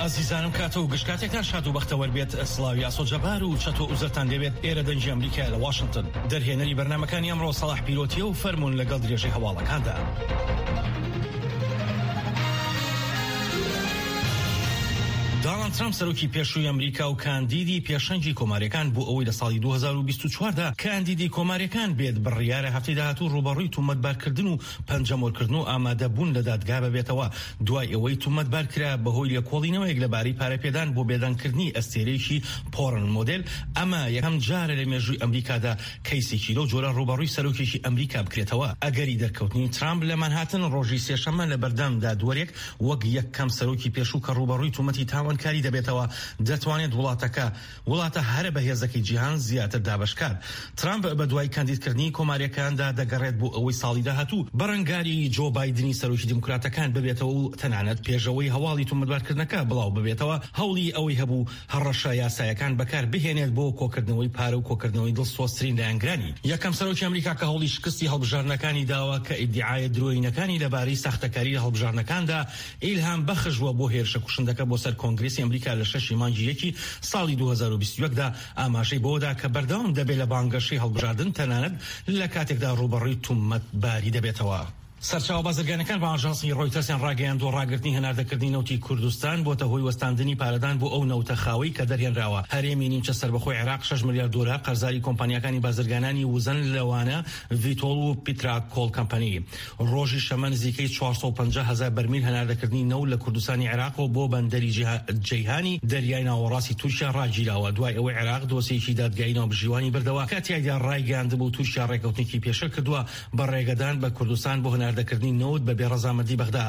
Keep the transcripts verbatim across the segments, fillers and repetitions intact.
زیزانم کاتە و گشت کاتێکتان شاد و بەختەوەر بێت. سڵاوی ئاسۆ جەبار و چەتۆ ئوزەرتان لێبێت. ئێرە دەنگی ئەمریکایە لە واشنگتن. دەرهێنەری بەرنامەکانی ئەمڕۆ سەڵاح پیرۆتیە و فەرموون لەگەڵ درێژەی هەواڵەکاندا. دۆناڵد ترامپ، سەرۆکی پێشووی ئەمریکا و کاندیدی پێشەنگی کۆماریەکان، بۆ ئەوەی لە ساڵی دوو هەزار و بیست و چوار دا کاندیدی کۆماریەکان بێت، بڕیارە هەفتەی داهاتوو ڕوبەڕووی تومەتبارکردن و پەنجەمۆرکردن و ئامادەبوون لەدادگا ببێتەوە، دوای ئەوەی تومەتبار کرا بەهۆی لێکۆڵینەوەیەک لەبارەی پارەپێدان بۆ بێدەنگکردنی ئەستێرەیەکی پۆرن مۆدێل. ئەمە یەکەم جارە لە مێژووی ئەمریکادا کەیسێکی لەو جۆرە ڕوبەڕووی سەرۆکێکی ئەمریکا بکرێتەوە. ئەگەری دەرکەوتنی ترامپ لە مانهاتن ڕۆژی سێشەممە لە بەردەم دادوەرێک، وەک یەکەم سەرۆکی پێشوو کە ڕوبەڕووی تومەتی تاوانکاری دەبێتەوە، دەتوانێت وڵاتەکە، وڵاتە هەرە بەهێزەکەی جیهان، زیاتر دابەشکات. ترامپ بە دوای کاندیدکردنی کۆماریەکاندا دەگەڕێت بۆ ئەوەی ساڵی داهاتوو بەرەنگاری جۆ بایدنی سەرۆکی دیموکراتەکان ببێتەوە و تەنانەت پێشەوەی هەواڵی تومەتبارکردنەکە بڵاو ببێتەوە، هەوڵی ئەوەی هەبوو هەڕەشە یاسایەکان بەکار بهێنێت بۆ کۆکردنەوەی پارە و کۆکردنەوەی دڵسۆزترین لایەنگرانی. یەکەم سەرۆکی ئەمریکا کە هەوڵی شکستی هەڵبژاردنەکانی داوە کە ئیدعایە درۆینەکانی لەبارەی ساختەکاری لە هەڵبژاردنەکاندا ئیلهام بەخش بووە بۆ هێرشە کوشندەکە بۆ سەر کۆنگرێسی ئەمریکا لە شەشی مانگی یەکی ساڵی دوو هەزار و بیست و یەک دا، ئاماژەی بەوەدا کە بەردەوام دەبێت لە بانگەشەی هەڵبژاردن، تەنانەت لە کاتێکدا ڕوبەڕووی تومەتباری دەبێتەوە. سەرچاوە بازرگانەکان بە ئاژانسی ڕۆیتەرسیان ڕاگەیاندووە، ڕاگرتنی هەناردەکردنی نەوتی کوردستان بۆتە هۆی وەستاندنی پارەدان بۆ ئەو نەوتە خاوەی کە دەرهێنراوە. هەرێمی نیمچە سەربەخۆی عێراق شەش ملیار دۆلار قەرزاری کۆمپانیاکانی بازرگانانی وزەن، لەوانە ڤیتۆڵ و پیتراکۆل کەمپەنی. ڕۆژی شەممە نزیکەی چوار سەد و پەنجا هەزار بەرمیل هەناردەکردنی نەوت لە کوردستانی عێراقەوە بۆ بەندەری جیها-، جەیهانی دەریای ناوەڕاستی تورکیا ڕاگیراوە، دوای ئەوەی عێراق دۆسیەکی دادگایی ناوبژیوانی بردەوە کە تیایدا ڕایگەیاندبوو تورکیا ڕێکەوتنێکی پێشێل کردووە بە ڕێگەدان بە کوردستان بۆ هەناردەکردنی نەوت بە بێ ڕەزامەندی بەغدا.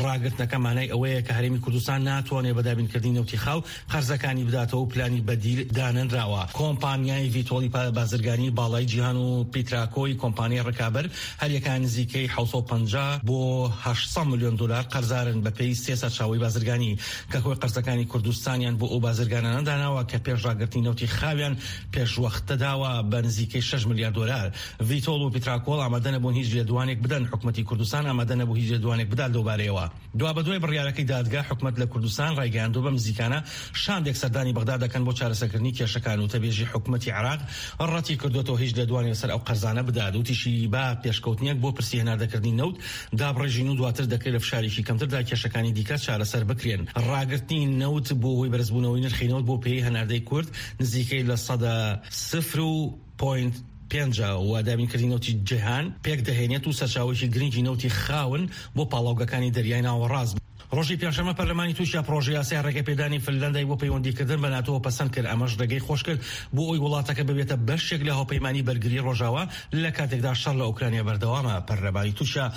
ڕاگرتنەکە مانای ئەوەیە کە هەرێمی کوردستان ناتوانێت بە دابینکردنی نەوتی خاو قەرزەکانی بداتەوە و پلانی بەدیل دانەنراوە. کۆمپانیای ڤیتۆڵی پا-، بازرگانی باڵای جیهان و پیتراکۆی کۆمپانیای ڕکابەر هەریەکان نزیکەی حەوت سەد و پەنجا بۆ هەشت سەد ملیۆن دۆلار قەرزارن، بە پێی سێ سەرچاوەی بازرگانی کە کۆی قەرزەکانی کوردستانیان بۆ ئەو بازرگانانە داناوە کە پێش ڕاگرتنی نەوتی خاویان پێشوەختە داوە بە نزیکەی شەش ملیار دۆلار. ڤیتۆڵ و پیتراکۆڵ ئامادە نەبوون هیچ لێدوانێک بدەن، حکومەتی کوردستان ئامادە نەبوو هیچ لێدوانێک بدات لەو بارەیەوە. دوابەدوای بڕیارەکەی دادگا، حکومەت لە کوردستان ڕایگەیاندووە بەم نزیکانە شاندێک سەردانی بەغدا دەکەن بۆ چارەسەرکردنی کێشەکان. وتەبێژی حکومەتی عێراق ڕەتی کردووەتەوە هیچ لێدوانێک لەسەر ئەو قەرزانە بدات. وتیشی با پێشکەوتنێک بۆ پرسی هەناردەکردنی نەوت دابڕێژین و دواتر دەکرێت لە فشارێکی کەمتردا کێشەکانی دیکە چارەسەر بکرێن. ڕاگرتنی نەوت بۆ هۆی بەرزبوونەوەی نرخی نەوت بۆ پێی هەناردەی کورد نزیکەی لە سەدا سفر و پۆینت پێنج و دابینکردنی نەوتی جیهان پێک دەهێنێت و سەرچاوەیەکی گرنگی نەوتی خاون بۆ پاڵاوگەکانی دەریای ناوەڕاست. ڕۆژی پێنجشەممە پەرلەمانی تورکیا پرۆژە یاسای ڕێگەپێدانی فنلەندای بۆ پەیوەندیکردن بە ناتۆ پەسەند کرد. ئەمەش ڕێگەی خۆش کرد بۆ ئەوی وڵاتەکە ببێتە بەشێک لە هاوپەیمانی بەرگری ڕۆژاوا لە کاتێکدا شەڕ لە ئۆکرانیا بەردەوامە. پەرلەمانی تورکیا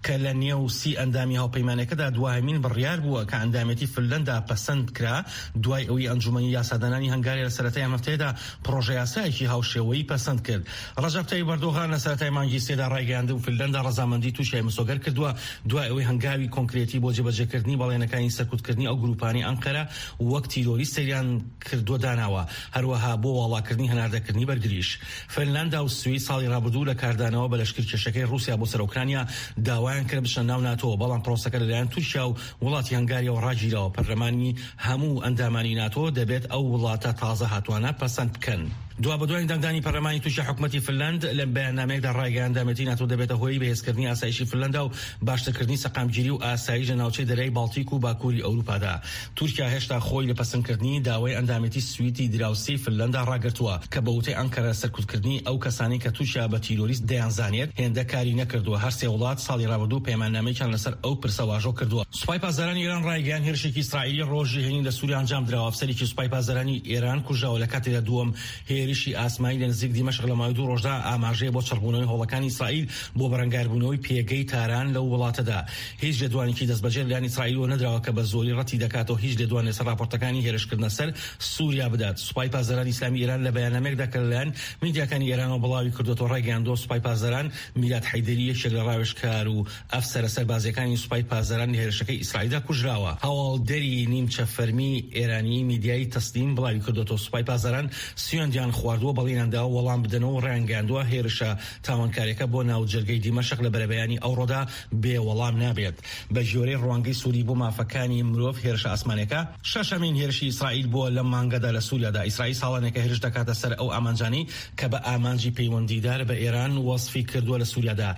کە لە نێو سی ئەندامی هاوپەیمانەکەدا دوایەمین بڕیار بووە کە ئەندامێتی فنلەندا پەسەند کرا، دوای ئەوەی ئەنجومەنی یاسادانانی هەنگاریا لە سەرەتای ئەم هەفتەیەدا پرۆژە یاسایەکی هاوشێوەی پەسەند کرد. ڕەجەب تەیب ئەردۆغان لە سەرەتای مانگی سێدا ڕایگەیاندبوو فنلەندا ڕەزامەندی تورکیای مسۆگەر کردووە، دوای ئەوەی هەنگاوی کۆنکرێتی بۆ جێبەجێکردنی بەڵێنەکانی سەرکوتکردنی ئەو گروپانەی ئەنقەرە وەک تیرۆریست سەیریان کردووە داناوە، هەروەها بۆ واڵاکردنی هەناردەکردنی بەرگریش. فنلاندا و سوید ساڵی ڕابردوو لە کاردانەوە بە لەشکر کێشەکەی رووسیا بۆ سەر ئۆکرانیا داوایان کرد بچنە ناو ناتۆ، بەڵام پرۆسەکە لەلایەن تورکیا و وڵاتی هەنگاریەوە ڕاگیراوە. پەرلەمانی هەموو ئەندامانی ناتۆ دەبێت ئەو وڵاتە تازە هاتوانە پەسەند بکەن. دوا بە دوای دەنگدانی پەرلەمانی تورکیا، حکومەتی فنلاند لە بەیاننامەیەکدا ڕایگەیاندامێتی ناتۆ دەبێتە هۆی بەهێزکردنی ئاسایشی فنلاندا و باشترکردنی سەقامگیری و ئاسایش لە ناوچەی دەریای باڵتیک و باکووری ئەوروپادا. تورکیا هێشتا خۆی لە پەسەندکردنی داوای ئەندامێتی سویدی دراوسێی فنلەندا ڕاگرتووە، کە بە وتەی ئەنقەرە سەرکوتکردنی ئەو کەسانەی کە تورکیا بە تیرۆریست دەیانزانێت هێندە کاری نەکردووە. هەر سێ وڵات ساڵی ڕابردوو پەیماننامەیەکیان لەسەر ئەو پرسە واژۆ کردووە. سوپای پاسدارانی ئێران ڕایگەیان هێرشێکی ئیسرائیلی ڕۆژی هەینی لە سووریا ئەنجام درا. ئەفسەرێکی سوپای پاسدارانی ئێران کوژراوە لە کاتێکدا دووەم هێرشی ئاسمانی لە نزیک دیمەشق لە ماوەی دوو ڕۆژدا ئاماژەیە بۆ چڕبوونەوەی هۆڵەکانی ئیسرائیل بۆ بەرەنگاربوونەوەی پێگەی تاران لەو وڵاتەدا. هیچ لێدوانێکی دەستبەجێ لەلایەن ئیسرائیلەوە نەدراوە کە بە زۆری ڕەتی دەکاتەوە هیچ لێدوانێ لەسەر راپۆرتەکانی هێرشکردنە سەر سووریا بدات. سوپای پاسدارانی ئیسلامی ئێران لە بەیاننامەیەکدا کە لەلایەن میدیاکانی ئێرانەوە بڵاوی کردووەتەوە ڕایگەیاندووە، سوپای پاسداران میلاد حەیدەری، یەکێک لە ڕاوێژکار و ئەفسەرە سەربازیەکانی سوپای پاسداران لە هێرشەکەی ئیسرائیلدا کوژراوە. هەواڵدەری نیمچە فەرمی ئێرانی میدیای تەسنیم بڵاوی کردووەتەوە، سوپای پاسداران سوێندیان خواردووە، بەڵینیان داوە وەڵام بدەنەوە و ڕایانگەیاندووە هێرشە تاوانکاریەکە بۆ ناوجەرگەی دیمەشق لە بەرەبەیانی ئەو ڕۆدا بێ وەڵام نابێت. بە ژێرەی ڕوانگەی سووری بۆ مافەکانی مرۆڤ، هێرشە ئاسمانەکە شەشەمین هێرشی ئیسرائیل بووە لە مانگەدا لە سووریادا. ئیسرائیل ساڵانێکە هێرش دەکاتە سەر ئەو ئامانجانەی کە بە ئامانجی پەیوەندیدار بە ئێران وەسفی کردووە لە سووریادا.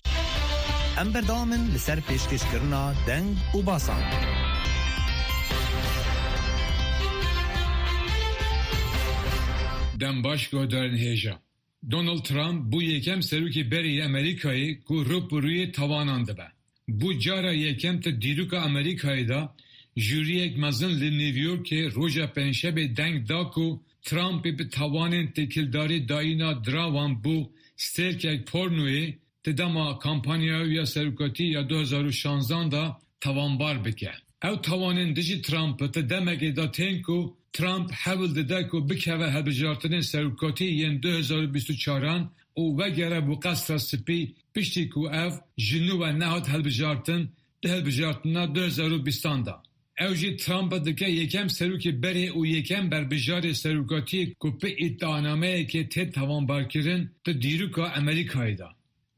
ئەم بەردەوامن لەسەر پێشکەشکردنا دەنگ و باسان. دەم باش گۆدارن هێژا. Donald Trump bû yekem serokê berê yê Amerîkayê ku rû bi rûyê tawanan dibe. Bû cara yekem di dîroka Amerîkayê de jûriyek mezin li New Yorkê roja Pêncşemê deng da ku Trumpê bi tawanên têkildarî dayîna dirawan bo stêrkek pornoyê di dema kampanyaya wî ya serokatî ya du hezar û şanzan de tawanbar bike. Ew tawanên dijî Trump di demekê de tên ku Trump hewl dide ku bikeve hilbijartinên serokatî yên du hezar û bîst û çaran û wegere bo Qesra Spî, piştî ku ev ji nû ve nehat hilbijartin di hilbijartina du hezar û bîstan de. Ew jî Trump dike yekem serokê berê û yekem berbijarê serokatiyê ku bi îdianameyekê tê tawanbarkirin di dîroka Amerîkayê de.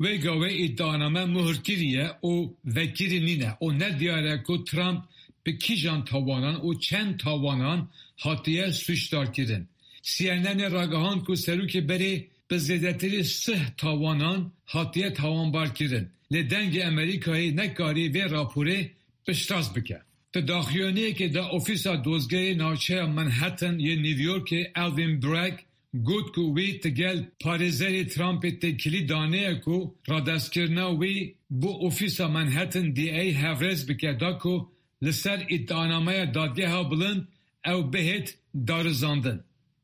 Wê gavê îdianame muhirkirî ye û vekirî nîne û ne diyar e ku Trump bi kîjan tawanan û çend tawanan hatiye sûcdarkirin. C N N ê ragihand ku serokê berê bi zêdetirî sih tawanan hatiye tawanbarkirin. Lê Dengê Amerîkayê nekarî vê raporê piştrast bike. Di daxuyaniyekê de Ofîsa Dozgerê Navçeya Manhattan yê New Yorkê Alvin Bragg got ku wî digel parêzerê Trumpê têkilî daneye ku radestkirina wî bo Ofîsa Manhattan D A hevrêz bike da ku li ser îdianameya Dadgeha Bilind ew bihêt darizandin.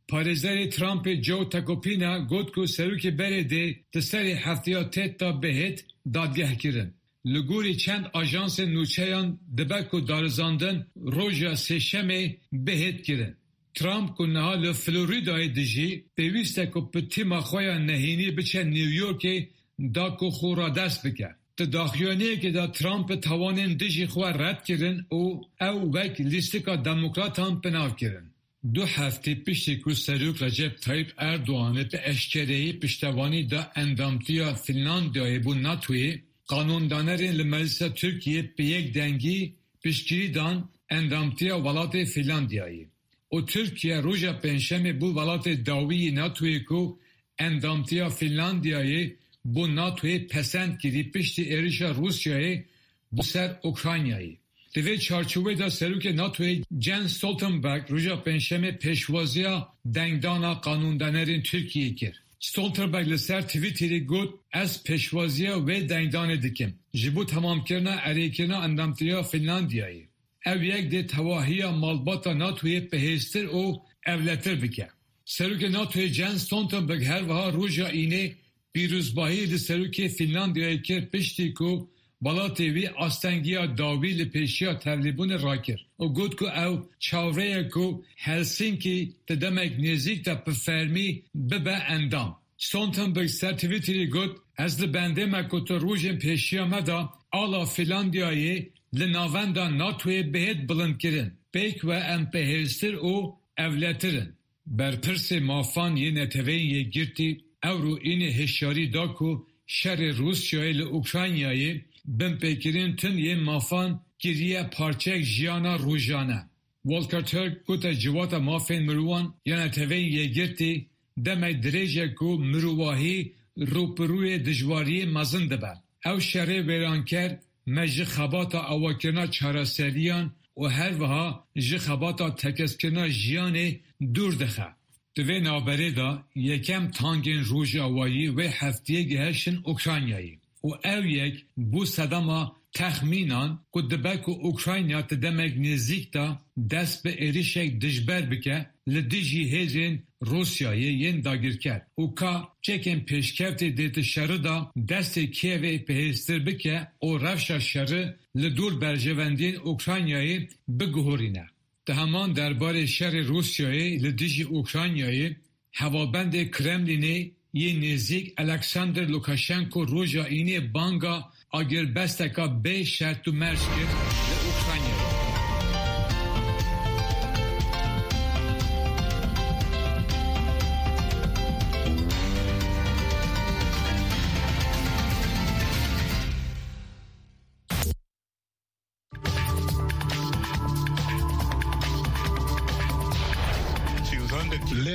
Parêzerê Trumpê Joe Tacopina got ku serokê berê dê di serê hefteya têt de bihêt dadgehkirin. Li gorî çend ajansên nûçeyan dibe ku darizandin roja Sêşemê bihêt kirin. Trump ku niha li Floridayê dijî, pêwîst e ku bi tîma xwe ya nehênî biçe New Yorkê da ku xwe radest bike. Di daxuyaniyekê de Trump bi tawanên dijî xwe red kirin û ew wek lîstika demokratan bi nav kirin. Du heftê piştî ku Serok Recep Tayyip Erdoganê bi eşkereyî piştevanî da endamtiya Fînlandiyayê bo NATOyê, qanûndanerên li Meclisa Tirkiyê bi yek dengî piştgirî dan endamtiya welatê Fînlandiyayê. Û Tirkiye roja Pêncşemê bû welatê dawî yê NATOyê ku endamtiya Fînlandiyayê bo NATOyê pesend kirî piştî êrişa Rûsyayê bo ser Ukraynayê. Di vê çarçovê de Serokê NATOyê Jens Stoltenberg roja Pêncşemê pêşwaziya dengdana qanûndanerên Tirkiyê kir. Stoltenberg li ser Twitterê got, Ez pêşwaziya wê dengdanê dikim ji bo temamkirina erêkirina endamtiya Fînlandiyayê. Ev yek dê tevahiya malbata NATOyê bihêztir û ewletir bike. Serokê NATOyê Jens Stoltenberg her wiha roja Înê pîrozbahî li serokê Fînlandiyayê kir piştî ku welatê wî astengiya dawî li pêşiya tevlîbûnê rakir û got ku ew çavreye ku Helsinkî di demek nêzîk de bi fermî bibe endam. Stoltenberg ser Twitterê got, Ez li bendê me ku tu rojên pêşiya me de ala Fînlandiyayê li navenda NATOyê bihêt bilindkirin. Pêk ve em bihêztir û ewletir in. Berpirsê mafan yê Neteweyên Yekgirtî ewro Înê hişyarî da ku şerê Rûsyayê li Ukraynayê binpêkirin tun yên mafan kiriye parçeyek jiyana rojane. Volker Turk gote Civata Mafên Mirovan ya Neteweyên Yekgirtî demek dirêj e ku mirovahî rûbirûyê dijwariyê mezin dibe. Ew şerê wêranker me ji xebata awakirina çareseriyan û her wiha ji xebata tekezkirina jiyanê dûr dixe. Di vê navberê de yekem tankên Rojavayî wê heftiyê gihiştin Ukraynayê û ew yek bû sedema texmînan ku dibe ku Ukrayna di demek nêzîk de dest bi êrişek dijber bike li dijî hêzên Rûsyayê yên dagirker û ka çekên pêşkevtê dê di şerî de destê Kîevê bihêztir bike û rewşa şerî li dor berjewendiyên Ukraynayê biguherîne. Di heman derbarê şerê Rûsyayê li dijî Ukraynayê, hevalbendê Kremlînê yê nêzîk Alexander Lukashenko roja Înê banga agirbesteka bê şert û merc kir li Ukraynayê.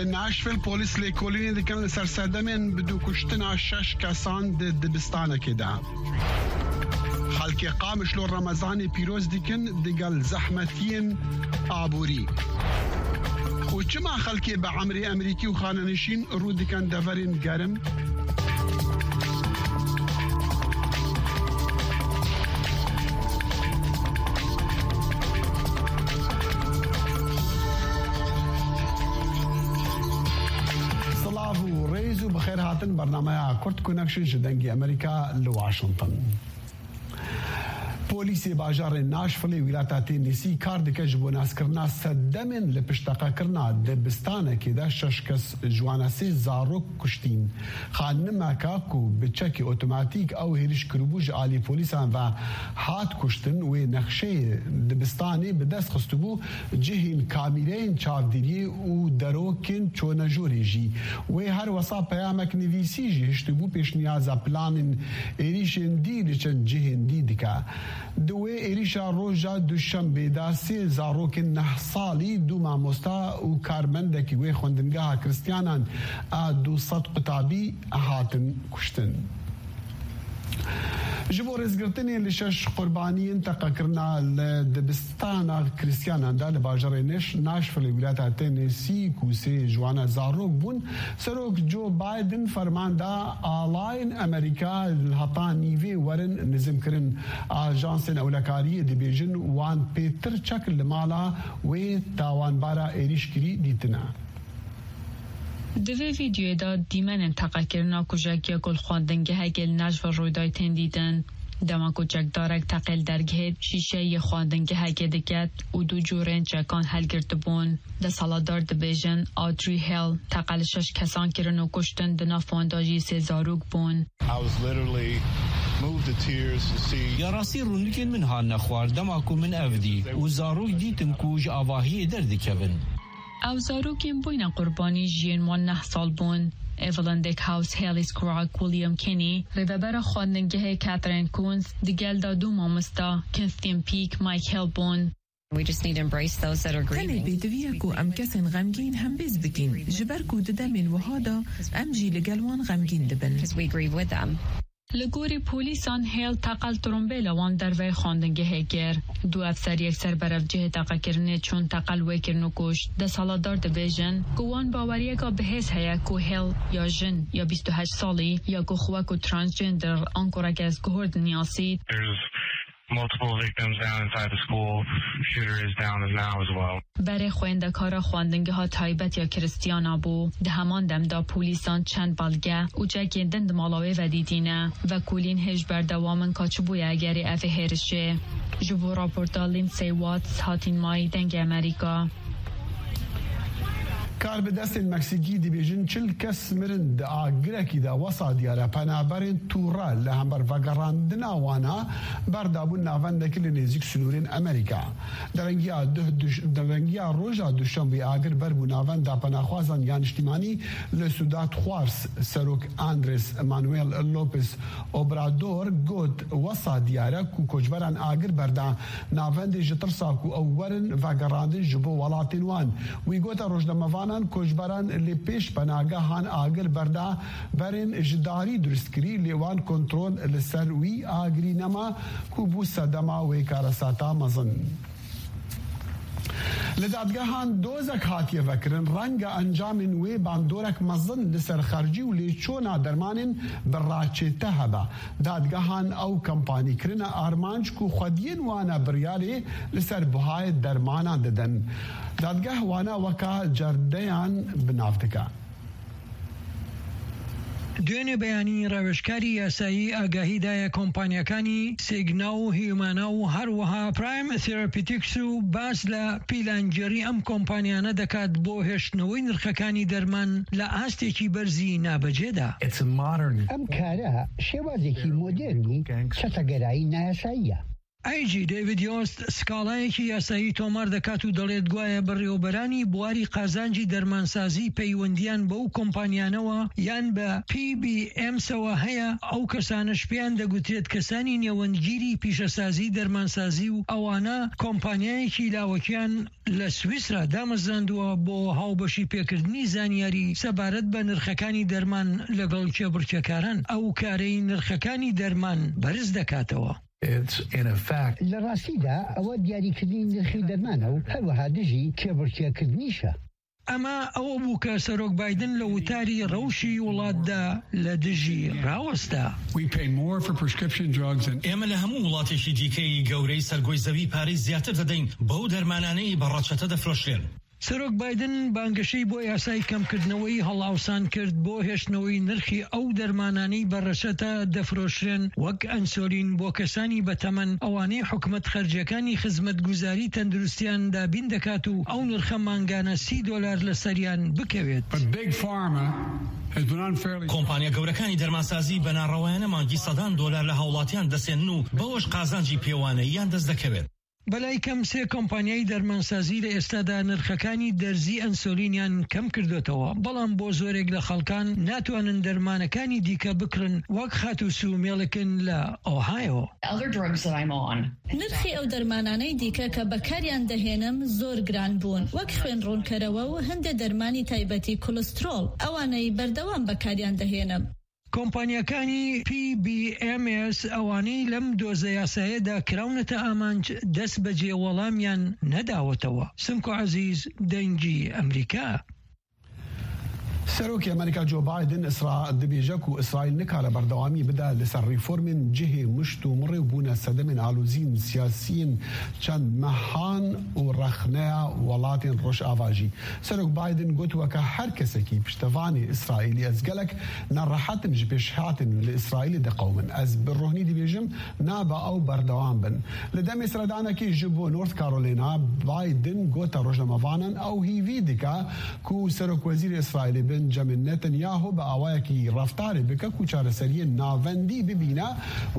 Nashville polîs lêkolînê dikin li ser sedemên bi dû kuştina şeş kesan di dibistanekê de. Xelkê Qamişlo Remezanê pîroz dikin digel zehmetiyên aborî. Û çima xelkê bi emrê Emerîkî û xanenişîn rû dikin deverên gerim? Silav û rêz û bi xêr hatin bernameya Kurd Connection ji Dengê Emerîka li Washington. Polîsê bajarê Nashville-ê wîlata Tennessee kar dike ji bo naskirina sedemên li pişteqekirina dibistanekê de şeş kes ji wana sê zarok kuştîn. Xanimeka ku bi çekê otomatîk ew hêriş kiribû ji alî polîsan ve hat kuştin, wê nexşeyê dibistanê bi dest xistibû, cihên kamîreyên çavdîriyê û derokên çonejorê jî. Wê her wesa peyamek nivîsî jî hiştibû pêşniyaza planên êrîşên dî li çend cihên dî dike. Di wê êrîşa roja Duşembê de sê zarokên neh salî, du mamosta û karmendekî wê xwendingeha Kristiyanan a du sed qutabî hatin kuştin. Ji bo rêzgirtinê li şeş qurbaniyên teqekirina li dibistana Kristiyanan de li bajarê Nash-, Nashville-ê wîlata Tennessee ku sê ji wana zarok bûn, Serok Joe Biden ferman da alayên Amerîka li heta nîvê werin nizimkirin. Ajansên ewlekariyê dibêjin wan pêtir çek li mala wê tawanbara êrîşkirî dîtine. Di vê vîdeoyê de dîmenên teqekirina kujekiya ku li xwendingehekê li Nashville rû dayê tên dîtin. Dema ku çekdarek teqê li dergehê şîşeyê xwendingehekê diket û du cûrên çekan helgirtibûn. Desthilatdar dibêjin Audrey Hale teqe li şeş kesan kirin û kuştin, di nav wan de jî sê zarok bûn. I was literally moved to tears to see Ya rastî rûnikên min hatine xwar dema ku min ev dî û zarok dîtim ku ji avahiyê derdikevin. Ew zarokên bûyne qurbanî jiyên wan neh sal bûn. Evelyn Dickhouse, Haley Scroggs, William Kinney, rêvebera xwendingehê Catherine Coons, digel de du mamosta, Kirsten Peak, Mike Hale bûn. We just need to embrace those that are Tenê grieving. Pêdiviye ku em kesên xemgîn hembêz bikin, ji ber ku di demên wiha de em jî li gel wan xemgîn dibin. 'Cause we grieve with them. Li gorî polîsan Hale teqel trombêla wan derveyê xwendingehê kir. Du efser yekser berevcihê teqekirinê çûn teqel wê kirin û kuşt. Desthilatdar dibêjin ku wan baweriyeka bihêz heye ku Hale ya jin ya bîst û heşt salî ya ku xwe ku transgender an ku regersguhor dinasît. There's multiple victims down inside the school. Shooter is down now as well. Berê xwendekara xwendingeha taybet ya Kristiyana bû. Di heman dem de polîsan çend belge û çekên din di mala wê ve dîtîne. Vekolîn hêj berdewam in ka çi bûye egerê evê hêrişê. Ji bo raporta Lindsay Watts, Hatîn May, Dengê Emerîka. Karbidestên Meksîkî dibêjin çil kes mirin di agirekî de wesa diyar e penaberên tûre li hember vegerandina wana berdabûn navendekî li nêzîk sinûrên Amerîka. Derengiya duh duş-, derengiya roja Duşembê agir ber bû navenda penaxwazan ya niştîmanî li Ciudad Juárez. Serok Andrés Manuel López Obrador got, wesa diyar e ku koçberan agir berda navendê ji tirsa ku ew werin vegerandin ji bo welatên wan. Wî gote rojnamevanan koçberan li pêş penagehan agir berda berên ji darî durustkirî, lê wan kontrol li ser wî agirî nema ku bû sedema wê karesata mezin. Li dadgehan dozek hatiye vekirin, renge encamên wê bandorek mezin li ser xercî û lêçûna dermanên bi raçête hebe. Dadgehan ew kampanî kirine armanc ku xwediyên wana biryarê li ser buhayê dermanan didin. Dadgeh wana weka cerdeyan bi nav dike. دوێنێ بەیانی ڕاوێژکاری یاسایی ئاگاهی دایە کۆمپانیاکانی سیگنا و هیومانا و هەروەها پرایم ثێراپیتیکس و باس لە پیلانگێڕی ئەم کۆمپانیانە دەکات بۆ هێشتنەوەی نرخەکانی دەرمان لە ئاستێکی بەرزی نابەجێدا. ئەم کارە شێوازێکی مۆدێرنی چەتەگەرایی نایاساییە. ئەیجی دەیڤید یۆست سکاڵایەکی یاسایی تۆمار دەکات و دەڵێت گوایە بەڕێوەبەرانی بواری قازانجی دەرمانسازی پەیوەندیان بەو کۆمپانیانەوە یان بە پی بی ئێمسەوە هەیە. ئەو کەسانەش پێیان دەگوترێت کەسانی نێوەندگیری پیشەسازی دەرمانسازی و ئەوانە کۆمپانیایەکی لاوەکیان لە سویسرا دامەزراندووە بۆ هاوبەشی پێکردنی زانیاری سەبارەت بە نرخەکانی دەرمان لەگەڵ کێبڕکێکاران. ئەو کارەی نرخەکانی دەرمان بەرز دەکاتەوە. لە ڕاستیدا ئەوە دیاریکردنی نرخی دەرمانە و هەروەها دژی کێبڕکێکردنیشە. ئەمە ئەوە بوو کە سەرۆک بایدن لە وتاری ڕەوشی وڵاتدا لە دژی ڕاوەستا. ئێمە لە هەموو وڵاتێکی دیکەی گەورەی سەرگۆی زەوی پارەی زیاتر دەدەین بەو دەرمانانەی بە ڕەچەتە دەفرۆشرێن. سەرۆک بایدن بانگەشەی بۆ یاسای کەمکردنەوەی هەڵاوسان کرد بۆ هێشتنەوەی نرخی ئەو دەرمانانەی بە ڕەچەتە دەفرۆشرێن، وەک ئەنسۆلین بۆ کەسانی بەتەمەن، ئەوانەی حکومەت خەرجیەکانی خزمەتگوزاری تەندروستیان دابین دەکات و ئەو نرخە مانگانە سی دۆلار لەسەریان بکەوێت. کۆمپانیا گەورەکانی دەرمانسازی بە ناڕەوایانە مانگی سەدان دۆلار لە هاوڵاتیان دەسێنن و بەوەش قازانجی پێوانەییان دەست دەکەوێت. بەلای کەم سێ کۆمپانیای دەرمانسازی لە ئێستادا نرخەکانی دەرزی ئەنسۆلینیان کەم کردوتەوە، بەڵام بۆ زۆرێک لە خەڵکان ناتوانن دەرمانەکانی دیکە بکڕن، وەک خاتوو سوو مێڵکن لە ئۆهایۆ. نرخی ئەو دەرمانانەی دیکە کە بەکاریان دەهێنم زۆر گران بوون، وەک خوێن ڕوونکەرەوە و هەندێ دەرمانی تایبەتی کولسترۆڵ، ئەوانەی بەردەوام بەکاریان دەهێنم. کۆمپانیاکانی پی بی ئێم ئێس ئەوانەی لەم دۆزە یاسایەدا کراونەتە ئامانج دەست بەجێ وەڵامیان نەداوەتەوە. سمکۆ عەزیز، دەنگی ئەمریکا. سەرۆکی ئەمریکا جۆ بایدن ئیسرا دەبێژە و ئیسرائیل نکارە بەردەوامی بدا لەسەر ریفۆرمێن جهێ مشت و مڕێ و بوونە سەدەمێن ئالوزین سیاسیین چەند مەهان و ڕەخنەیە وڵاتێن ڕۆژ ئاڤاژی. سەرۆک بایدن گوتووە کە هەر کەسێکی پشتەڤانێ ئیسرائیلی ئەزگەلک نەڕەحەتن ژ پێشهاتن لە ئیسرائیلی دەقەومن. ئەز بە ڕۆحنی دەبێژم نابا ئەو بەردەوام بن. لە دەمێ سەردانەکی ژ بۆ نۆرت کارۆلینا، بایدن گۆتە ڕۆژنەمەڤانان ئەو هیڤی دکا کو سەرۆک وەزیر ئیسرائیلی بنجامین نەتەنیاهۆ بە ئاوایەکی ڕەفتارێ بکە کو چارەسەریە ناڤەندی ببینە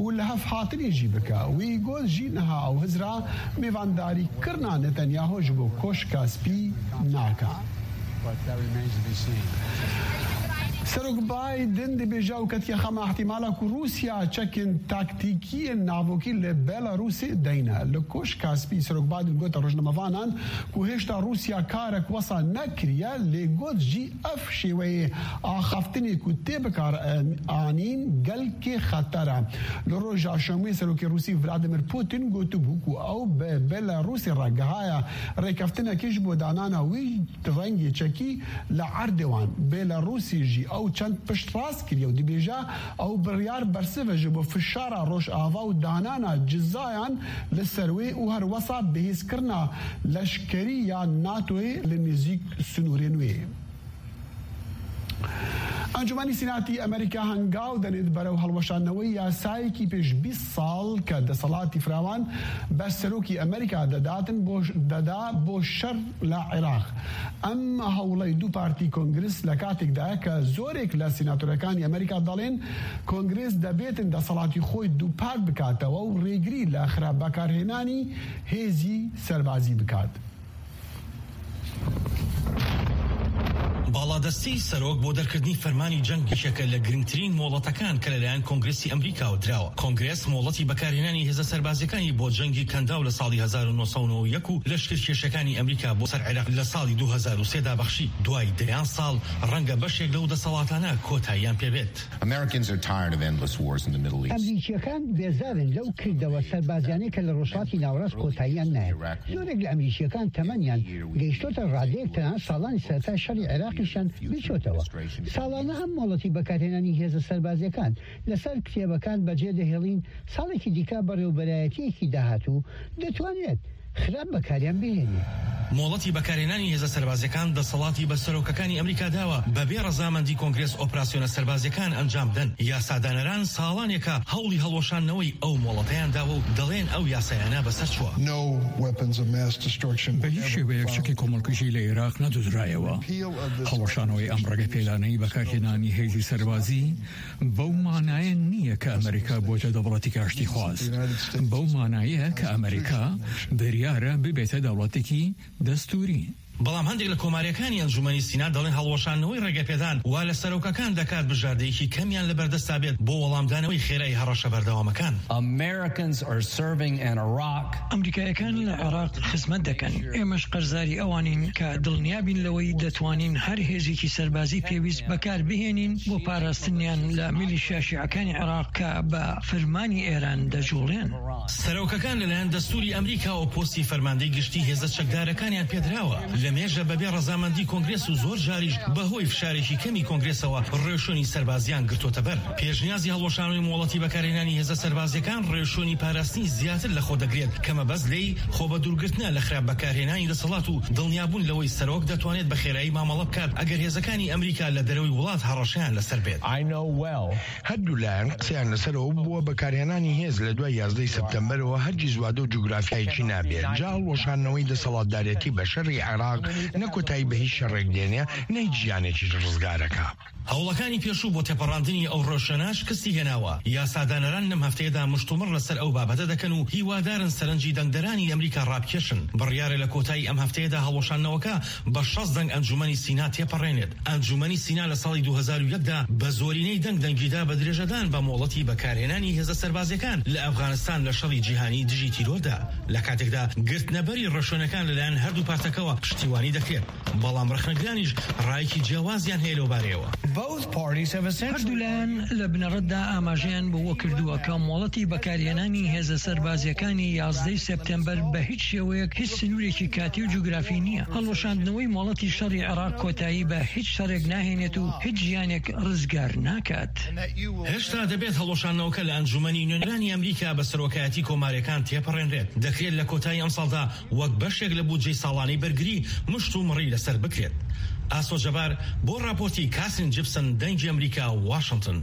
و لە هەف هاتنێ ژی بکە. وی گۆت ژی نەها ئەو هزرا مێڤانداری کرنا نەتەنیاهۆ ژ بۆ کۆشکا سپی ناکا. سەرۆک بایدن دەبێژە و کەتیە خەمە احتیمالا کو رووسیا چەکن تاکتیکیە ناڤۆکی لە بێلاروسی دەینە. لە کۆش کاسپی سەرۆک بایدن گۆتە ڕۆژنەمەڤانان کو هێشتا رووسیا کارەک وەسا نەکریە، لێ گۆت ژی ئەف شێوەیە ئاخەفتنێ کو تێ بکار ئانین گەلکێ خەتەرە. لە ڕۆژا شەموێ سەرۆکی رووسی ڤلادیمیر پوتین گۆتبوو کو ئەو بە بێلاروسی ڕاگەهایە ڕێکەفتنەکیش بۆ دانانا وی ڕەنگێ چەکی لە عەردێوان بێلاروسی ژی ئەو چەند پشت ڕاست کریە و دەبێژە ئەو بڕیار بەرسڤە ژ بۆ فشارا ڕۆژئاڤا و دانانا جزایان لە سەروێ و هەروەسا بەهێزکرنا لەشکەری یا ناتۆی لە نێزیک سنوورێن وێ. ئەنجومەنی سیناتی ئەمریکا هەنگاو دەنێت بەرەو هەڵوەشاندنەوەی یاسایەکی پێش بیست ساڵ کە دەسەڵاتی فراوان بە سەرۆکی ئەمریکا دەداتن بۆ دەدا بۆ شەر لە عێراق. ئەم هەوڵەی دوو پارتی کۆنگرس لە کاتێکدایە کە زۆرێک لە سیناتۆرەکانی ئەمریکا دەڵێن کۆنگرس دەبێتن دەسەڵاتی خۆی دووپات بکاتەوە و ڕێگری لە خراپ بەکارهێنانی هێزی سەربازی بکات. باڵادەستەی سەرۆک بۆ دەرکردنی فەرمانی جەنگ یەکێکە لە گرنگترین مۆڵەتەکان کە لەلایەن کۆنگرسی ئەمریکاوە دراوە. کۆنگرس مۆڵەتی بەکارهێنانی هێزە سەربازیەکانی بۆ جەنگی کەنداو لە ساڵی هەزار و نۆ سەد و نەوەد و یەک و لەشکر کێشەکانی ئەمریکا بۆ سەر عێراق لە ساڵی دوو هەزار و سێ دا بەخشی. دوای دەیان ساڵ ڕەنگە بەشێک لەو دەسەڵاتانە کۆتاییان پێبێت. ئەمریکیەکان بێزارن لەو کردەوە سەربازیانەی کە لە ڕۆژهەڵاتی ناوەڕاست کۆتاییان نایەت. زۆرێک لە ئەمریکیەکان تەمەنیان گەیشتۆتە ڕادەیەک تەنها ساڵانی سەرەتای شەڕی عێراقیشان بیچۆتەوە. ساڵانە ئەم مۆڵەتی بەکارهێنانی هێزە سەربازیەکان لەسەر کتێبەکان بەجێ دەهێڵین، ساڵێکی دیکە بەڕێوەبەرایەتیەکی داهاتوو دەتوانێت خراپ بەکاریان بهێنێ. مۆڵەتی بەکارهێنانی هێزە سەربازیەکان دەسەڵاتی بە سەرۆکەکانی ئەمریکا داوە بەبێ ڕەزامەندی کۆنگرێس ئۆپراسیۆنە سەربازیەکان ئەنجام بدەن. یاسادانەران ساڵانێکە هەوڵی هەڵوەشاندنەوەی ئەو مۆڵەتەیان داوە و دەڵێن ئەو یاسایانە بەسەر چووە. No weapons of mass destruction بە هیچ شێوەیەک چەکی کۆمەڵکوژی لە عێراق نەدۆزرایەوە. هەڵوەشانەوەی ئەم ڕێگە پێدانەی بەکارهێنانی هێزی سەربازی بەو مانایە نییە کە ئەمریکا بۆتە دەوڵەتی کاشتی خواز. بەو مانایە کە ئەمریکا بریارە ببێتە دەوڵەتێکی دەستوری. بەڵام هەندێک لە کۆماریەکانی ئەنجومەنی سینا دەڵێن هەڵوەشاندنەوەی ڕێگەپێدان وا لە سەرۆکەکان دەکات بژاردەیەکی کەمیان لە بەردەستا بێت بۆ وەڵامدانەوەی خێرای هەڕەشە بەردەوامەکان. Americans are serving in Iraq. ئەمریکایەکان لە عێراق خزمەت دەکەن. ئێمەش قەرزاری ئەوانین کە دڵنیابین لەوەی دەتوانین هەر هێزێکی سەربازی پێویست بەکار بهێنین بۆ پاراستنیان لە میلیشیا شیعەکانی عێراق کە بە فرمانی ئێران دەجوڵێن. سەرۆکەکان لەلایەن دەستوری ئەمریکاوە پۆستی فەرماندەی گشتی هێزە چەکدارەکانیان پێدراوە. لە مێژە بەبێ ڕەزامەندی کۆنگرێس و زۆر جاریش بەهۆی فشارێکی کەمی کۆنگرێسەوە ڕێوشوێنی سەربازیان گرتوتە بەر. پێشنیازی هەڵوەشانەوەی مۆڵەتی بەکارهێنانی هێزە سەربازیەکان ڕێوشوێنی پاراستنی زیاتر لە خۆ دەگرێت کە مەبەست لێی خۆ بە دوورگرتنە لە خراپ بەکارهێنانی دەسەڵات و دڵنیابوون لەوەی سەرۆک دەتوانێت بە خێرایی مامەڵە بکات ئەگەر هێزەکانی ئەمریکا لە دەرەوەی وڵات هەڕەشەیان لەسەر بێت. I know well. هەردوو لایەن قسەیان لەسەرەوە بووە بەکارهێنانی هێز لە دوای یازدەی سەپتەمبەرەوە هەرگیز وادە و جوگرافیایەکی نابێت. جا هەڵوەشاندنەوەی دەسەڵاتدارێتی بە شەڕی عێراق نە کۆتایی بە هیچ شەڕێک دێنێ، نە هیچ ژیانێکیش ڕزگارەکە. هەوڵەکانی پێشوو بۆ تێپەڕاندنی ئەو ڕێوشوێنە شکستی هێناوە. یاسادانەران لەم هەفتەیەدا مشتومڕ لەسەر ئەو بابەتە دەکەن و هیوادارن سەرنجی دەنگدەرانی ئەمریکا ڕابکێشن. بڕیارە لە کۆتایی ئەم هەفتەیەدا هەڵوەشاندنەوەکە بە شەست دەنگ ئەنجومەنی سینا تێپەڕێنێت. ئەنجومەنی سینا لە ساڵی دوو هەزار و یەکدا بە زۆرینەی دەنگ دەنگیدا بە درێژەدان بە مۆڵەتی بەکارهێنانی هێزە سەربازیەکان لە ئەفغانستان لە شەڕی جیهانی دژی تیرۆردا. لە کاتێکدا گرتنەبەری ڕێوشوێنەکان لەلایەن هەردوو پارتەکەوە پشتیوانی دەکرێت. بەڵام ڕەخنەگرانیش ڕایەکی جیاوازیان هەیە لەو بارەیەوە. Both parties have essentially هەردوو لایەن لە بنەڕەتدا ئاماژەیان بۆ کردووە کە مۆڵەتی بەکارهێنانی هێزە سەربازیەکانی یازدەی سەپتەمبەر بە هیچ شێوەیەک هیچ سنوورێکی کاتی و جوگرافی نییە. هەڵوەشاندنەوەی مۆڵەتی شەڕی عێراق کۆتایی بە هیچ شەڕێک ناهێنێت و هیچ ژیانێک ڕزگار ناکات. هێشتا دەبێت هەڵوەشاندنەوەکە لە ئەنجومەنی نوێنەرانی ئەمریکا بە سەرۆکایەتی کۆمارەکان تێپەڕێنرێت. دەکرێت لە کۆتایی ئەم ساڵدا وەک بەشێک لە بودجەی ساڵانەی بەرگری مشت و مڕی لەسەر بکرێت. ئاسۆ جەبار بۆ راپۆرتی کاسین جیپسن، دەنگی ئەمریکا، واشنگتن.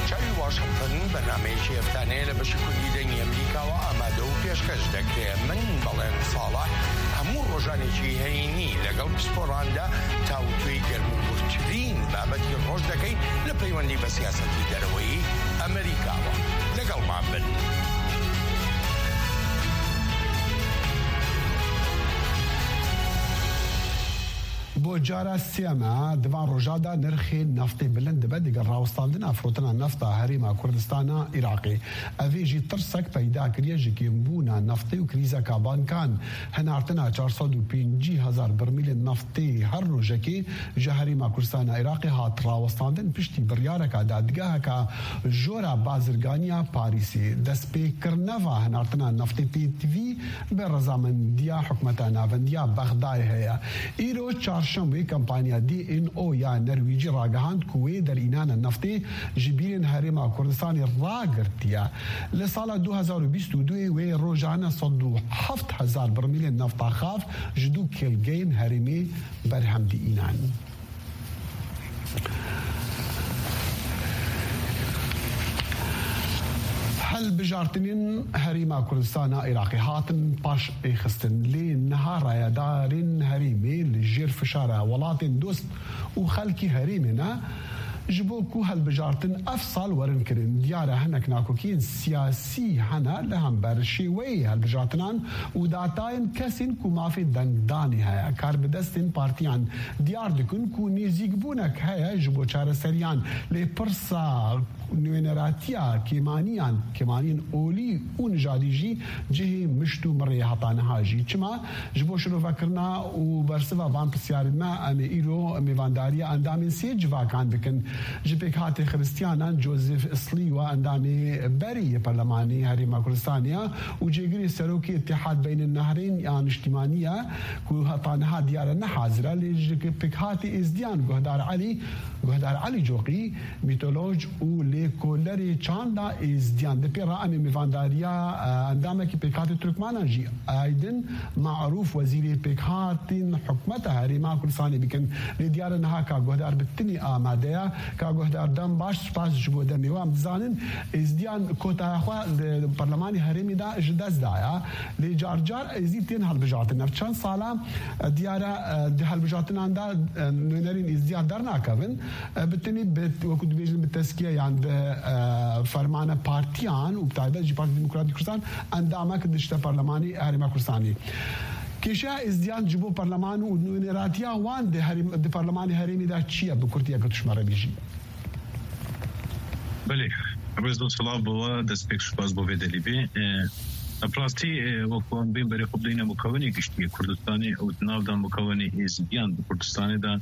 چاوی واشنگتن بەرنامەیەکی هەفتانەیە لە بەشی کوردی دەنگی ئەمریکاوە ئامادە و پێشکەش دەکرێت. من بەڵێن ساڵح هەموو ڕۆژانێکی هەینی لەگەڵ پسپۆراندا تاوتوێی گەرموگورترین بابەتی ڕۆژ دەکەین لە پەیوەندی بە سیاسەتی دەرەوەی ئەمریکاوە. لەگەڵمان بن. بۆ جارە سێیەمە، دڤان ڕۆژادا نرخی نەفتی بلند دەبێت دەگەڵ ڕاوەستاندنا فرۆتنە نەفتا هەرێما کوردستانە عێراقی. ئەڤێژی ترسەک پەیدا کریە ژ کێمبوونا نەفتی و کریزەکا بانکان. هەنارتنا چار سەد و پەنجی هەزار بەرمیلێ نەفتی هەر ڕۆژەکی ژە هەرێما کوردستانە عێراقی هات ڕاوەستاندن پشتی بڕیارەکە دادگاهەکە ژۆرە بازرگانیە پاریسی. دەستپێکردنەوە هەنارتنا نەفتی تێتڤی بە ڕەزامەندیە حکومەتە ناوەندیە بەغدای هەیە. ئیرۆ چارشەموی کەمپانیا دی ئێن ئۆ یا نەرویجی ڕاگەهاند کو وێ دەرئینانە نەفتی ژ بیرێن هەرێما کوردستانی ڕاگرتیە. لە ساڵە دوو هەزار و بیست و دوو وێ ڕۆژانە سەد و حەفت هەزار بڕمیلێن نەفتا خاف ژ دوو کێلگەین هەرێمی بەرهەم دیئینان. هەلبژارتنین هەریما کوردستانا عێراقی هاتن پاش ئێخستن لێ نەها ڕایەدارین هەریمێ لە ژێر فشارە وڵاتین دۆست و خەلکی هەریمێنە. Ji bo ku hilbijartin ev sal werin kirin, diyar e hinek nakokiyên siyasî hene li hember şêweyê hilbijartinan û datayên kesên ku mafê dengdanê heye. Karbidestên partiyan diyar dikin ku nêzîkbûnek heye ji bo çareseriyan, lê pirsa nûneratiya kêmaniyan, kêmaniyên olî û nijadî jî cihê mişt û mirê heta niha jî. Çima? Ji bo şirovekirina û bersiva van pirsyarên me, em ê îro mêvandariya endamên sê civakan bikin. Ji pêkhatê Xiristiyanan Joseph Sliwa endamê berî yê Perlemanê Herêma Kurdistanê ya û cêgirê serokê Îtihad Beynel Nehrên ya Niştimanî ya ku heta niha diyare ne hazir e, lê ji pêkhatê Êzdiyan Guhdar Elî, Guhdar Elî Coqî, mîtoloj û lêkolerê çanda Êzdiyan. Di pê re em ê mêvandariya, e, endamekî pêkhatê Turkmanan jî Aydin Marûf, wezîrê pêkhatên hikûmeta Herêma Kurdistanê bikin. Lê diyar e niha ka guhdar bi tinî amade ye. Ka guhdar dem baş, spas ji bo demê we. Em dizanin Êzdiyan kotaya xwe di Perlemanê Herêmê de ji dest daye. Lê car car Êzî tên hilbijartin. Ev çend sala, e, diyar e, e, di hilbijartinan de, e, nûnerên Êzdiyan dernakevin. E, bi tenê bi, wekî dibêjin bi teskiye yan bi, e, fermana partiyan û bi taybet jî Partî Demokratîk Kurdistan endamek dişte Perlemanê Herêma Kurdistanê. Kêşeya Êzdiyan ji bo Perleman û nûneratiya wan di herêm-, di Perlemanê Herêmê de çi ye? Bi kurtiyeke tu ji me re bêjî. Belê, rêz û silav bo we, destpêk spas bo vê delîvê. E, bi rastî, e, wekî em bên berê xwe bideyne mukewinê giştî yê Kurdistanê û di nav de mukewinê Êzidiyan di Kurdistanê de,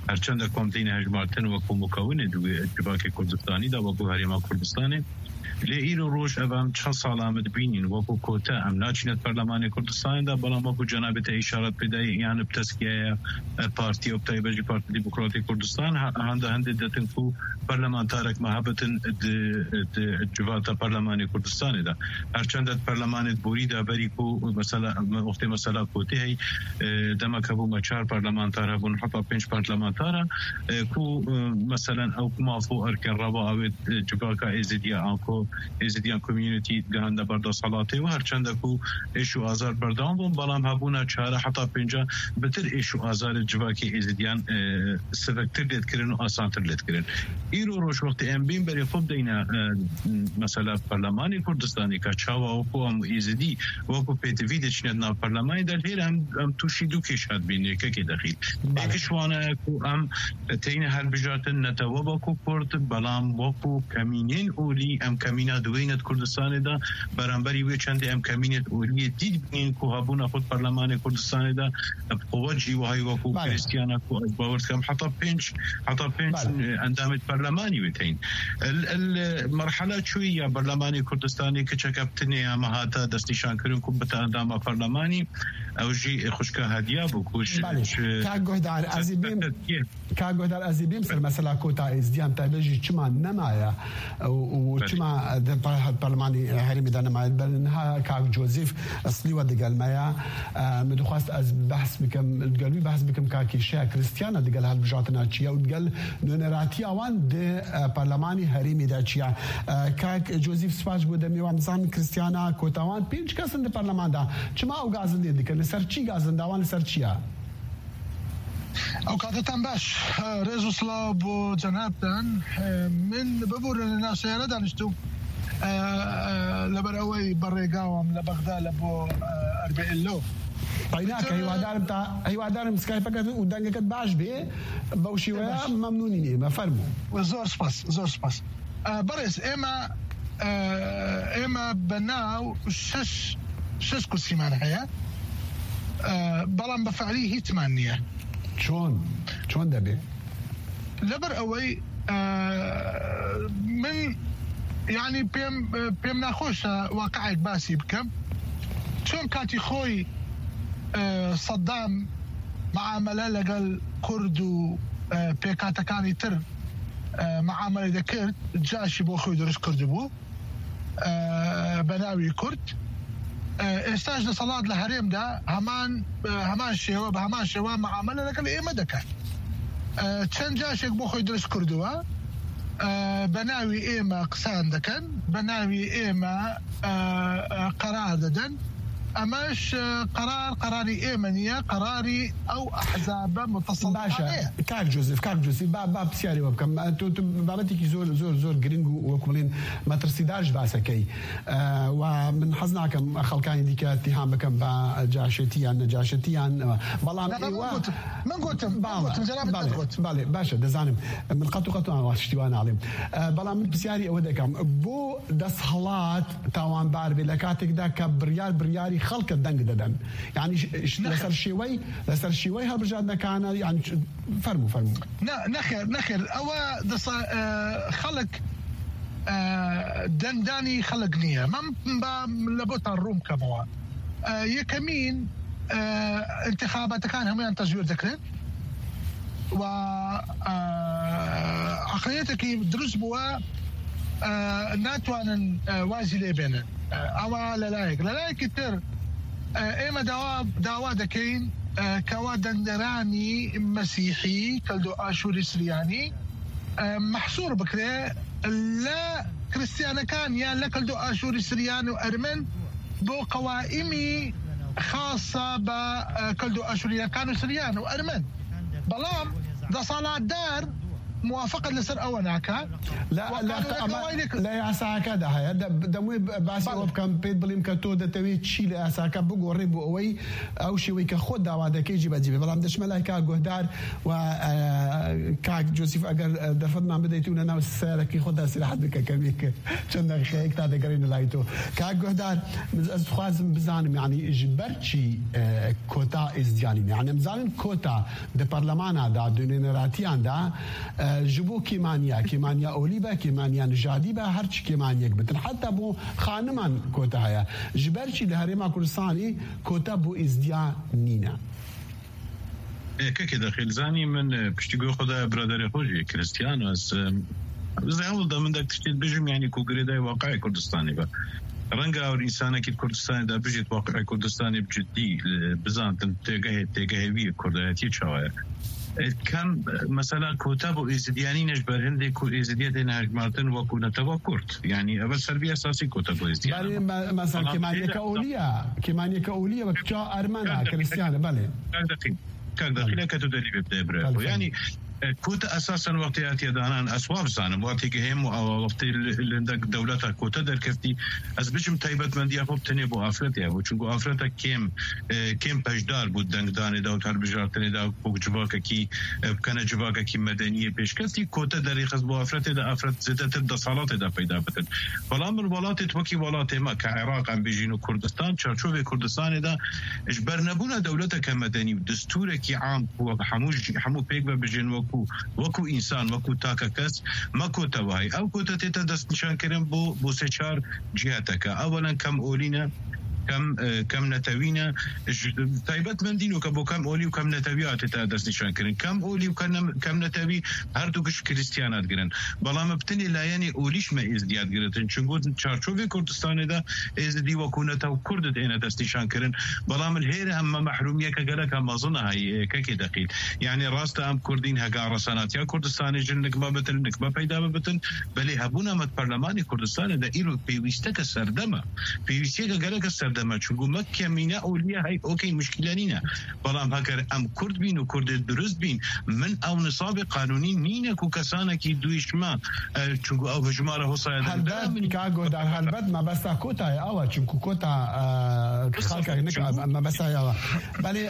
her çend ku em têne hejmartin wekî mukewinê di wê civakê Kurdistanî de, wekî Herêma Kurdistanê, lê îro roj ev em çend sala em dibînin wekî kote em naçîne di Perlemanê Kurdistanê de, belam wekî cenabê te îşaret pê dayî, yan bi teskiyaya, e, partî û bi taybet jî Partî Demokratîk Kurdistan, ha-, hende hende ditin ku parlamentarek me hebitin di, di civata Perlemanê Kurdistanê de. Her çend di perlemanê borî de berî ku mesela, wextê mesela kotî hey, e, demek hebû me çar parlamentar hebûn, heta pênc parlamentar e, ku, e, meselen ew ku maf û erkên reva awê, e, civaka Êzidiya, anko Êzidiyan community gihande ber desthilatê û her çend ku êş û azar berdewam bûn, belam hebûna çare heta pênca bitir êş û azarê civakê Êzidiyan, e, siviktir lê dikirin û asantir lê dikirin. Îro roj wextê em bên berê xwe bideyne, e, mesela Perlemanê Kurdistanê ka çawa wekû em Êzidî wekû pêtivî diçine di nav Perlemanê de, lêre em, em tûşî du kêşa dibîn, yekekê dexîl. Belê. Êk ji wan e ku em teyne hilbijartin netewe wekû Kurd, belam wekû kemînên olî, em kemîna diwêne di Kurdistanê de, beramberî wê çendê em kemînê oliyê dî dibînin ku hebûna xwe di Perlemanê Kurdistanê de, bi quwet jî wahayî wekû Belê. Kristiyana ku ez bawer dikim heta pênc, heta pênc Belê. endamê perlemanî wê teyn. El, el, merhala çûyî ya Perlemanê Kurdistanê kiçeke bi tinê ya me hate destnîşankirin ku bite endama perlemanî, ew jî xwişka Hediya bû ku ji, Belê. ji, Kak Guhdar, ez ê bêm, Tirkiye. Kak Guhdar, ez ê bêm ser mesela kota Êzdiyan, taybet jî çima nemaye û, û Belê. çima di par-, Perlemanê Herêmê de nemaye. Ber niha Kak Joseph Eslî we digel me ya. E, min dixwest ez behs bikim, digel wî behs bikim ka kêşeya Kristiyana digel hilbijartina çi ye û digel nûneratiya wan di, e, Perlemanê Herêmê de çi ye. E, Kak Joseph, spas ji bo demê wan. Dizanin Kristiyana kota wan pênc kes in di Perleman de. Çima ew gazindê dikin? Li ser çi gazinda wan, li ser çi ye? Ew katetan baş. Rêz û silav bo cenabtan. Min biborin li nav seyare daniştûm. Leber ew ê bi rêga wam li Bexda li bo Erbîl lo. Peynak, hîwadarim ta, hîwadarim Skype-eke û dengeke baş bê. Bew şêweya Baş. memnûnîn ê me. Fermo. Zor spas, zor spas. Berêz, ême, ême bi nav şeş, şeş kursî me heye. Belam bi fe'lî hîç me niye. Çon? Çon debe? Leber ewey, min, yanî pêm, pêm naxweş e waqi'ek basî bikim. Çon katî xwe, Seddam muamele legel Kurd û, pêkhatekanî tir, muamele dikir, caşî bo xwe dirist kirdibû, bi navî Kurd. Êsta ji desthilat li herêm de heman, heman şêwe, bi heman şêwe muamele legel ême dike. Çend caşek bo xwe dirist kirdiwe, bi navî ême qisan dikin, bi navî ême, qerar didin. Emeş, e, qerar, qerarî ême niye, qerarî ew ehzabe muteselîtane ye. Baş e. Kak Joseph, Kak Joseph, ba, ba pisyarê we bikim. Tu, tu babetekî zor, zor, zor giring û wek bilên metirsîdar ji basekey. E, wa min hez nakim xelkanî dîke îttiham bikim ba caşetiyan, necaşetiyan. Belam Ne, ne, êwa min gotim, min gotim, min Bala, gotim, cenabê te bale, digot. Bale, baş e, dizanim. Min qet û qet an tiştî wan nalim. E, belam min pisyarî ewe dikim. Bo desthilat tawanbar bê, lê katek de ke biryar, biryarî خەڵکە دەنگ دەدەن. یعنی، ش-، ش-، لەسەر شێوەی، لەسەر شێوەی هەڵبژاردنەکانە، یعنی، چ-، فەرموو، فەرموو. نە، نەخێر، نەخێر. ئەوە دەسا-، ئە، خەڵک، ئە، دەنگدانی خەڵک نییە. من با لە بۆتان ڕوون بکەمەوە. ئە، یەکەمین، ئە، انتخاباتەکان هەمویان تەزویر دەکرێن. و، ئە، عەقڵیەتێکی دروست بووە، ئە، ناتوانن، ئە، وازی لێ بێنن. ئە، ئەوە لە لایەک. لە لایەکی تر، ئە، ئێمە داوا، داوا دەکەین، ئە، کەوا دەنگدەرانی مەسیحی، کەلدۆ ئاشووری سریانی، ئە، مەحسوور بکرێ لە کریستیانەکان یان لە کەلدۆ ئاشووری سریان و ئەرمەن بۆ قەوائمی خاصە بە، ئە، کەلدۆ ئاشووریەکان و سریان و ئەرمەن. بەڵام دەسەڵاتدار موافقت لەسەر ئەوە ناکا. لە، و لە، قانونەکە ئەمە وای لێ کرد. لە یاساکەدا هەیە. دە-، دەموێ ب-، باسی بەڵێ. ئەوە بکەم، پێت بڵیم کە تۆ دەتەوێت چی لە یاساکە بگۆڕێ بۆ ئەوەی ئەو شێوەی کە خۆت داوا دەکەی جێبەجێ بێ. بەڵام دەچمە لای کاک گۆهدار و، ئە، کاک جۆسیف، ئەگەر، ئە، دەرفەت مان بدەیت و لە ناو سیارەکی خۆتدا سیراحەت بکە کەمێک چەند دەقیقەیەک تا دەگەڕێنە لای تۆ. کاک گۆهدار، ئەز دخوازم بزانم، یعنی، ژ بەر چی، ئە، کۆتا ئێزدیانی؟ یعنی، ئەم زانن کۆتا دە پەرلەمانادا، دە نوێنەراتیاندا، ئە، ji bo kêmaniya، kêmaniya olî be، kêmaniya nijadî be، her çi kêmaniyek bitin. Heta bo xaniman kota heye. Ji ber çi li Herêma Kurdistanê kota bo êzdiya nîne? Ê, kekê de xêl zanî min, e, piştî guhê xwe de biraderê xwe jî Kristiyano ez, e, ez ê hewl de min dek tiştê dibêjim, yanî ku girêdayî waqiê Kurdistanê be. Renga ew însanekî di Kurdistanê de bijît, waqiê Kurdistanê bi cidî, e, bizantin têgehê, têgehê wî yê Kurdayetiyê çawa ye. E, kem, e, mesela kota bo Êzidiyanî ne ji ber hindê ku Êzidiya têne hejmartin wekû netewa Kurd. Yanî ev ser vî esasî kota bo Êzidiyan. Belê, me-, mesela Tamam, kêmaniyeke şeýle. olî ye, kêmaniyeke olî ye, wek ça Ermena, Kar deqî-, Kristiyane, belê. Kar deqî-, kar Belê. deqîle ke tu delî bê bide bire. Belê, Yanî, belê. E, ku te esasen wextê hatiye danan, ez wa bizanim, wextê gihêm û awa wextê li, li hindek dewleta ku te derkeftî, ez biçim taybetmendiya xwe bi tenê bo afretê hebû. Çunku afreta kêm, e, kêm peşdar bû dengdanê de û di hilbijartinê de, ku civakekî, e, bikene civakekî medeniyê pêşkeftî, ku te derêxist bo afretê de, afret zêdetir desalatê de peyda bikin. Belam min welatê wekî welatê me, ke Iraq em bêjîn û Kurdistan, çarçovê Kurdistanê de, ji ber nebûna dewleteke medenî û destûrekî am ku hemû jî, hemû pêk ve bijên wekû, wekû însan, wekû take kes, me kote wahî. Ew kote tête destnîşankirin bo, bo sê çar ciheteke. Ewelen kem olî ne, kem, e, kem netewî ne. Ji, taybet mendîn weke bo kem olî û kem netewî hatête destnîşan kirin. Kem olî û kem, kem netewî her du giş Kristiyana digirin. Belam bi tenê layenê olî ji me êzdiya digiritin. Çunku çarçovê Kurdistanê de Êzidî wekû netew Kurd dêne destnîşan kirin. Belam li hêre em me mehrûmiyeke gelek em mezin a heyî, e, kekê deqîl. Yanî rast e em Kurdîn hega resenatiya Kurdistanê jin nik me bitin, nik me peyda bibitin. Belê hebûna me di perlemanê Kurdistanê de îro pêwîsteke serdem e. Pêwîstiyeke geleke serdem e. Çunku me kemîne olî ye hey, okey, muşkîle nîne. Belam heger em Kurd bîn û Kurdê durust bîn, min ew nisabê qanûnî nîne ku kesanekî dûyî ji me, e, çunku ew hijmara hosaya Helbet, derdibera min. Ka Godar, helbet mebesta kota ye, ew e, çunku kota, e, Wisa xalka nik, çunku mebesta ye ew e. Belê,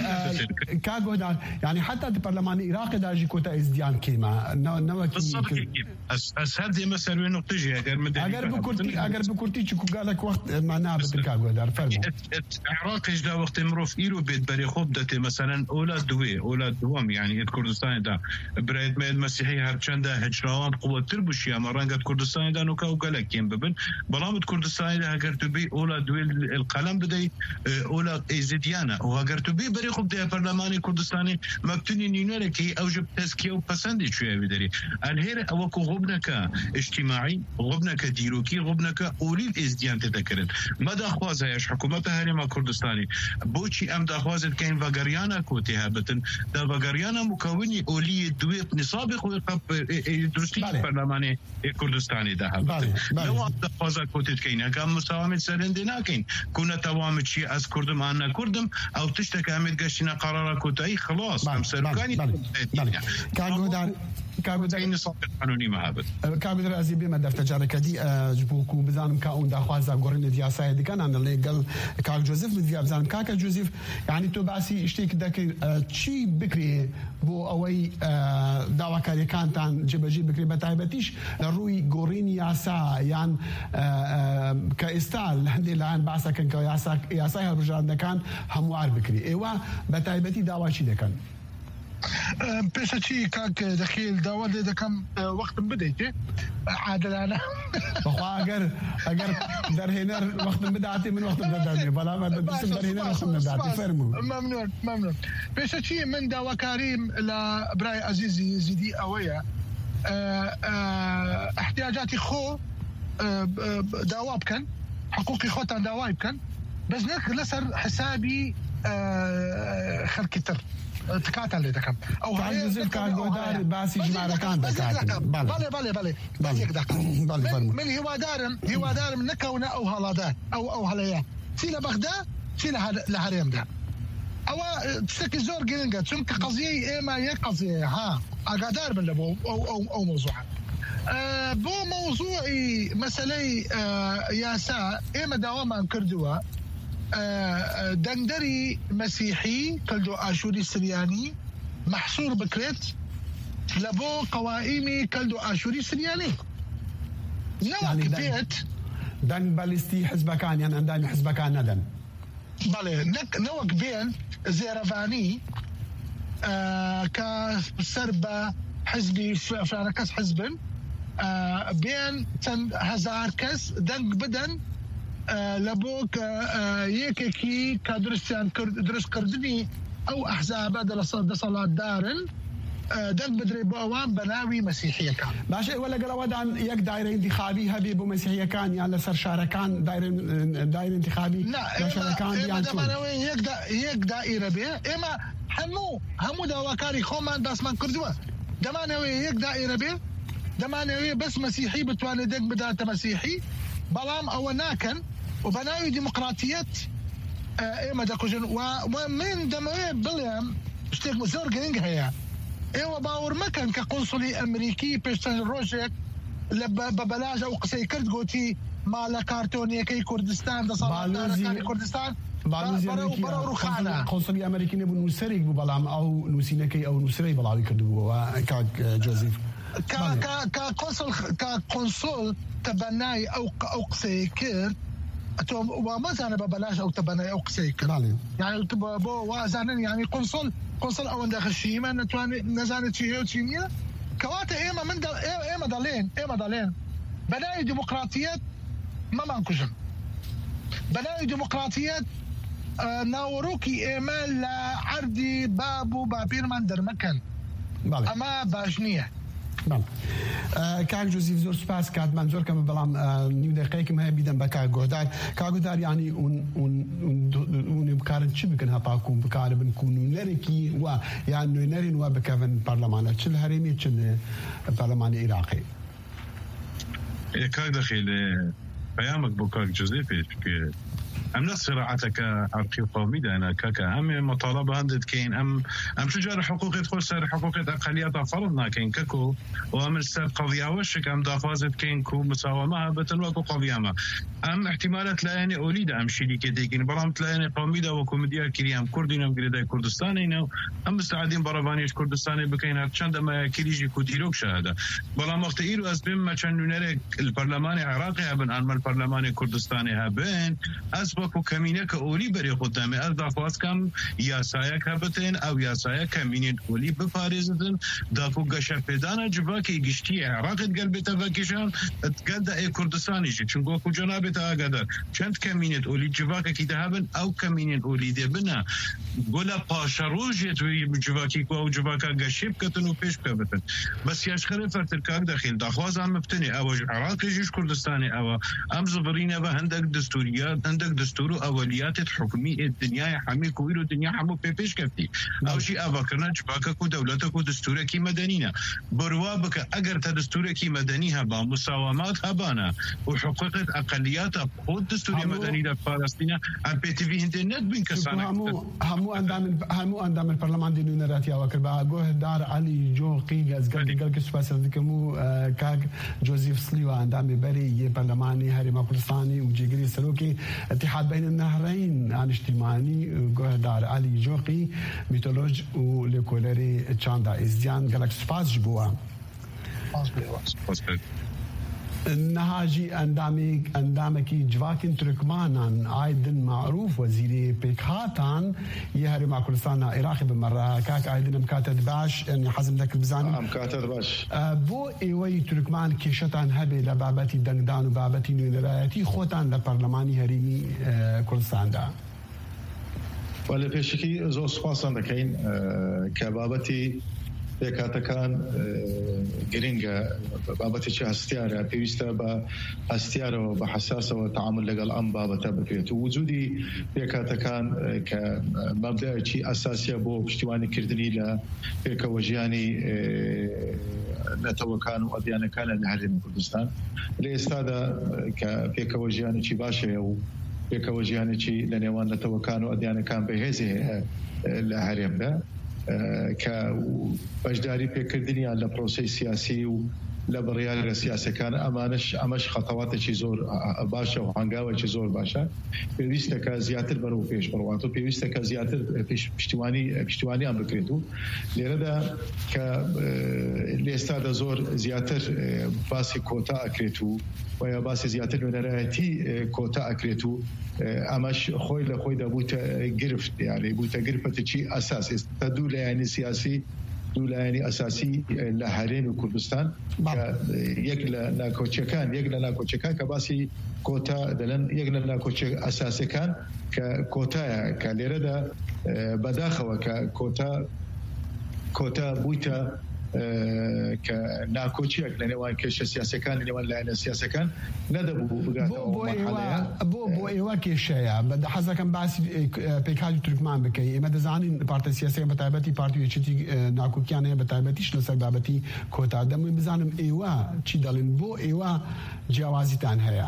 e, Ka Godar, yani heta di perlemanê Iraqê de jî kota êzdiyan kêm e. Ne, ne wekî Wisa kêm. Ez, ez her dême ser wê noqtê jî, eger min Eger dêrî bi kurtî, bihatin. eger bi kurtî, çiku gelek wext, e, me nabidin Ka Godar, fermo. Et, et, Iraqê ji da wextê mirov îro bêt berê xwe bidetê, meselen, ola duwê, ola duwem, yanî et Kurdistanê de birayet me êd Mesîhî her çende hicra wan quwettir bû şiya me, renge di Kurdistanê de noka û gelek kêm bibin. Belam di Kurdistanê de heger tu bê ola duwê li, li qelem bidey, e, ola êzidiyana. Û heger tu bê berê xwe bideye perlemanê Kurdistanê, me bi tunî nînerekî ew ji tezkiye û pesendê çûye wî derê. Elhêre ew ku xubneke îctîmaî, xubneke dîrokî, xubneke olî êzdiyan tête kirin. Me daxwaz heye ji hikûmeta Herêma Kurdistanê. Boçî em daxwazê dikeyin vegeriyana ku tê hebitin? Da vegeriyana mukewinî olî yê duwê nisabê xwe qep, e, e, durustî Belê. perlemanê ê Kurdistanê de hebitin. Belê, belê. Ne wan daxwaza ku tê dikeyin. Heka em musawamê ser hindê nakin. Ku netewa min çi ye, ez Kurdim an ne Kurdim, ew tişteke em ê digeştîne qarara kotayî, xilas. Belê, Em serokanî belê, belê, Kurdistanê belê. ne. Ka Ama Godar, ku Ka Godar, Kotayî nisabê qanûnî me hebit. Ka Godar, ez ê bême defte careke dî, e, ji bo ku bizanim ka hûn daxwaza gorînê di yasayê dikin, an lê gel Kak Joseph, min diya bizanim. Kaka Joseph, yani tu basî iştêk dekir, e, çi bikirê bo ewey, e, dawakariyekantan cebecî bikirê, be taybetîş li rûy gorîn yasa yan, e, e, ke êsta li hindê layan basakin ke yasa, yasay hilbijarandindekan hemwar bikirê. Êwa be taybetî dawa çi dekan? Em, pêşe çî kak Dexîl, dawa lê dekem, e, wextim bideytê. E, adilane. Bixwe eger, eger derhêner wextim bidatê, min wextim nedanê. Bela me Baş, derhêner spas, wextim nedatê. Spas. Fermû. Memnun, memnun. Pêşe çî min dawakarî la birayê ezîzî Zîdî ewe ye. E, e, ihtiyacatî xwe, e, e, dawa bikin. Hiqûqî xwe tan dawa bikin. Bes ne li ser hesabî, e, xelkî tir. Tikatan lê dikim. Ew Kak heye Yusuf, nekew Kak ne ew Guhdar heye. Basî jimarekan dikatî. Belê, belê, belê. Belê. Bes yek deqa. Belê, min, fermû. Min hîwadarim, hîwadarim nekewne ew halade, ew, ew haleye. Çî li Bexda, çî li her-, li herêm de. Ewa, e, tiştekî zor giring e. Çimkî qeziyeyê êma yek qeziyeye, ha. Agadar bin li bo, ew, ew, ew mewzûa. E, bo mewzûî meseleyê, e, yasa, ême dawaman kirdiwe. E, e, dengderî Mesîhî, Keldo Aşûrî Siryanî, mehsûr bikirêt li bo qewaîmî Keldo Aşûrî Siryanî. Ne Yani wek deng, bêt deng be lîstî hizbekan yan endamî hizbekan nedin. Belê, ne, ne wek bên zêrevanî, e, ke ser be hizbî f-, filanekes hizbin, e, bên çend hezar kes deng bidin, e, li bo ke, e, yekekî ke duristiyan kir-, duristkirdinî ew ehzabe de desa-, desalatdar in, e, deng bidirê bo ewan be navî mesîhiyekan. Baş e, we legel ewe dan yek daîre întîxabî hebî bo mesîhiyekan yan li ser şarekan daîre, e, daîre întîxabî ya şarekan ême, yan çûn? Deman ew ê yek da-, yek daîre bê. Ême hemû, hemû dawakarî xwe man basman kirdiwe. Deman ew ê yek daîre bê. Deman ew ê bes mesîhî bitwane deng bidate mesîhî. Belam ewe nakin. Û be navî demokratiyet, e, ême dekujin. Wa, wa min demewê bilêm, tiştek zor giring heye. Ê we bawer mekin ke konsulî Emerîkî pêş çend rojek li be-, be belaş ew qisey kir, gotî, ma li kartoniyekey Kurdistan, desalatdarekani Kurdistan, Balozî be-, berew, Emerîkî berew ya. Rûxana. Konsul-, konsulî Emerîkî nebû, nûserek bû, belam ew nûsînekey, ew nûsirey belawi kirdibû, wa, kak, e, Joseph. Ka, Belê. Ka, ka konsul, ka konsul tebenayî ew, ew qiseyê kir, to wa mezane be belaş ew tebenayî ew qiseyê kir. Belê. Yani tu bo, bo wa zanin, yani konsul, konsul ewende xişîme, netwani, nezane çi heye û çi niye. Kewate ême min de, ê-, ême delên, ême delên. Be navî demokratiyet me man kujin. Be navî demokratiyet, e, nawerokî ême li erdî bab û bapîrman dermekin. Belê. Ema baş niye. Belê. E, Kak Joseph, zor spas, kat man zor keme, belam, e, nîv deqeyek me heye bidem be Kak Guhdar. Kak Guhdar, yani, hûn, hûn, hûn, hûn ê bikarin çi bikin heta ku bikaribin ku nûnerekî wa, yan nûnerên wa bikevin parlemana, çi li herêmê, çi li parlemanê Iraqê? Ê, kak Dexîl, ê, peyamek bo kak Joseph, çünkü em ne siraeteke erqî qewmî de ne, kaka. Em ê mutalebe hinde dikeyin, em, em çi car hiqûqê xwe ser hiqûqê eqeliyeta ferz nakeyin, keko. Û em li ser qeziya we şik, em daxwazê dikeyin ku musaweme hebitin wekû qeziya me. Em ihtimal e di layenê olî de em şîrîkê têkin, belam di layenê qewmî de wekû min diya kiriye, em Kurdîn, em girêdayî Kurdistanê ne, em misteedîn berevaniyê ji Kurdistanê bikeyin, her çend em ya kirî jî ku dîrok şahid e. Belam wextê îro ez bêm me çend nûnerek li perlemanê Iraqê hebin, an me li perlemanê Kurdistanê hebin, ez wekû kemîneke olî berê xwe demê, ez daxwaz kem yasayek hebitin, ew yasayek kemînên olî biparêzitin, da ku geşepêdana civakê giştî yê Iraqê digel bête vekişan, digel de ê Kurdistanê jî. Çunku wekû cenabê te agadar, çend kemînêt olî civakekî de hebin, ew kemînên olî dê bine gula paşerojêt wê civakî ku ew civaka geşê biketin û pêş bikevitin. Bes ya ji xerê fertir kak Dexîl, daxwaza me bi tenê ew e, ji Iraqê jî ji Kurdistanê ew e. Em zivirîne ve hindek distûriya, hindek distûr û eweliyatêt hukmî ê dinyayê hemî ku îro dinya hemû pê pêş keftî. Ew jî eva kirine civakek û dewletek û distûrekî medenî ne. Birwa bike, eger te distûrekî medenî heba, musawemat hebane û hiqûqêt eqeliyata xwe distûrê medenî de parastîne, em pêtivî hindê nedibîn kesanek. Hemû, hemû endamên, hemû endamên perlemandê nûnerê hatiye we kir. Be Guhdar Elî Coqî, ez gelkî, gelkî spas dikim û, e, kak Joseph Sliwa, endamê berê yê perlemanê Herêma Kurdistanê û cêgirê serokê Îtîhad Beynelnehreyn a niştîmanî guhdar Elî Coqî, mîtoloj û lêkolerê çanda Êzdiyan, gelek spas ji bo we. Niha jî endamê, endamekî civakên Turkmanan Aydin Marûf, wezîrê pêkhatan yê Herêma Kurdistana Iraqê bi me re. Kak Aydin, em kate dibaş, em hezim dekir bizanim. Em kate dibaş. E, bo êweyî Turkman kêşetan hebe le babetî dengdan û babetî nûnerayetî xotan le Perlemanî Herêmî, e, Kurdistan de? Wele pêşikî zor spasan dekeyin, e, ke babetî pêkhatekan, e, giring e, babetê çi hestiyar e, pêwîst e be hestiyarewe, be hesasewe teamul legel em babete bikirêt. Û wicûdî pêkhatekan, e, ke mebdeyekî esasî ye bo piştîwanî kirdinî le pêkewejiyanî, e, netewekan û edyanekan li Herêma Kurdistan. Lê êsta de, e, ke pêkewejiyanekî baş heye û pêkewejiyanekî li nêwan netewekan û edyanekan bi hêzê heye, e, li herêm de, e, ke beşdarî pêkirdiniya li proseyê siyasî û li biryara siyasekan, emaneş, emeş xetawatekî zor, e, baş e û hengawekî zor baş e. Pêwîst e ke ziyadtir berû pêş biroat û pêwîst e ke ziyadtir, e, pêş-, piştîwanî, e, piştîwaniyan bikirêt û lêre de ke, e, lê êsta de zor ziyadtir, e, basî kota ekirêt û veya basî ziyadtir nûnerayetî, e, kota ekirêt û, e, emeş xwey li xwey de bûte, e, girift, yani bûte girfetekî esas. Êsta du layenî siyasî, du layenî esasî, e, li herêmê Kurdistan, Bab. ke, e, yek li nakoçekan, yek li nakoçekan ke basî kota dilin, yek li nakoçe esasekan ke kota ye, ke lêre de, e, bedaxewe ke kota, kota bûte, e, ke nakoçiyek li nêwan kêşe siyasekan, li nêwan layene siyasekan nedebû bigate Bo, ew bo merhaleya. êwa, bo, bo E, êwa kêşe ye. Be, de hez dikim basî, e, k-, e, pêkhatî Turkman bikey. Ême dizanin partê siyasî, bi taybetî partî Yekîtî, e, nakokiyan heye, bi taybetî ji li ser babetî kota. Dem wê bizanim êwa çi delin. Bo êwa ciyawazîtan heye.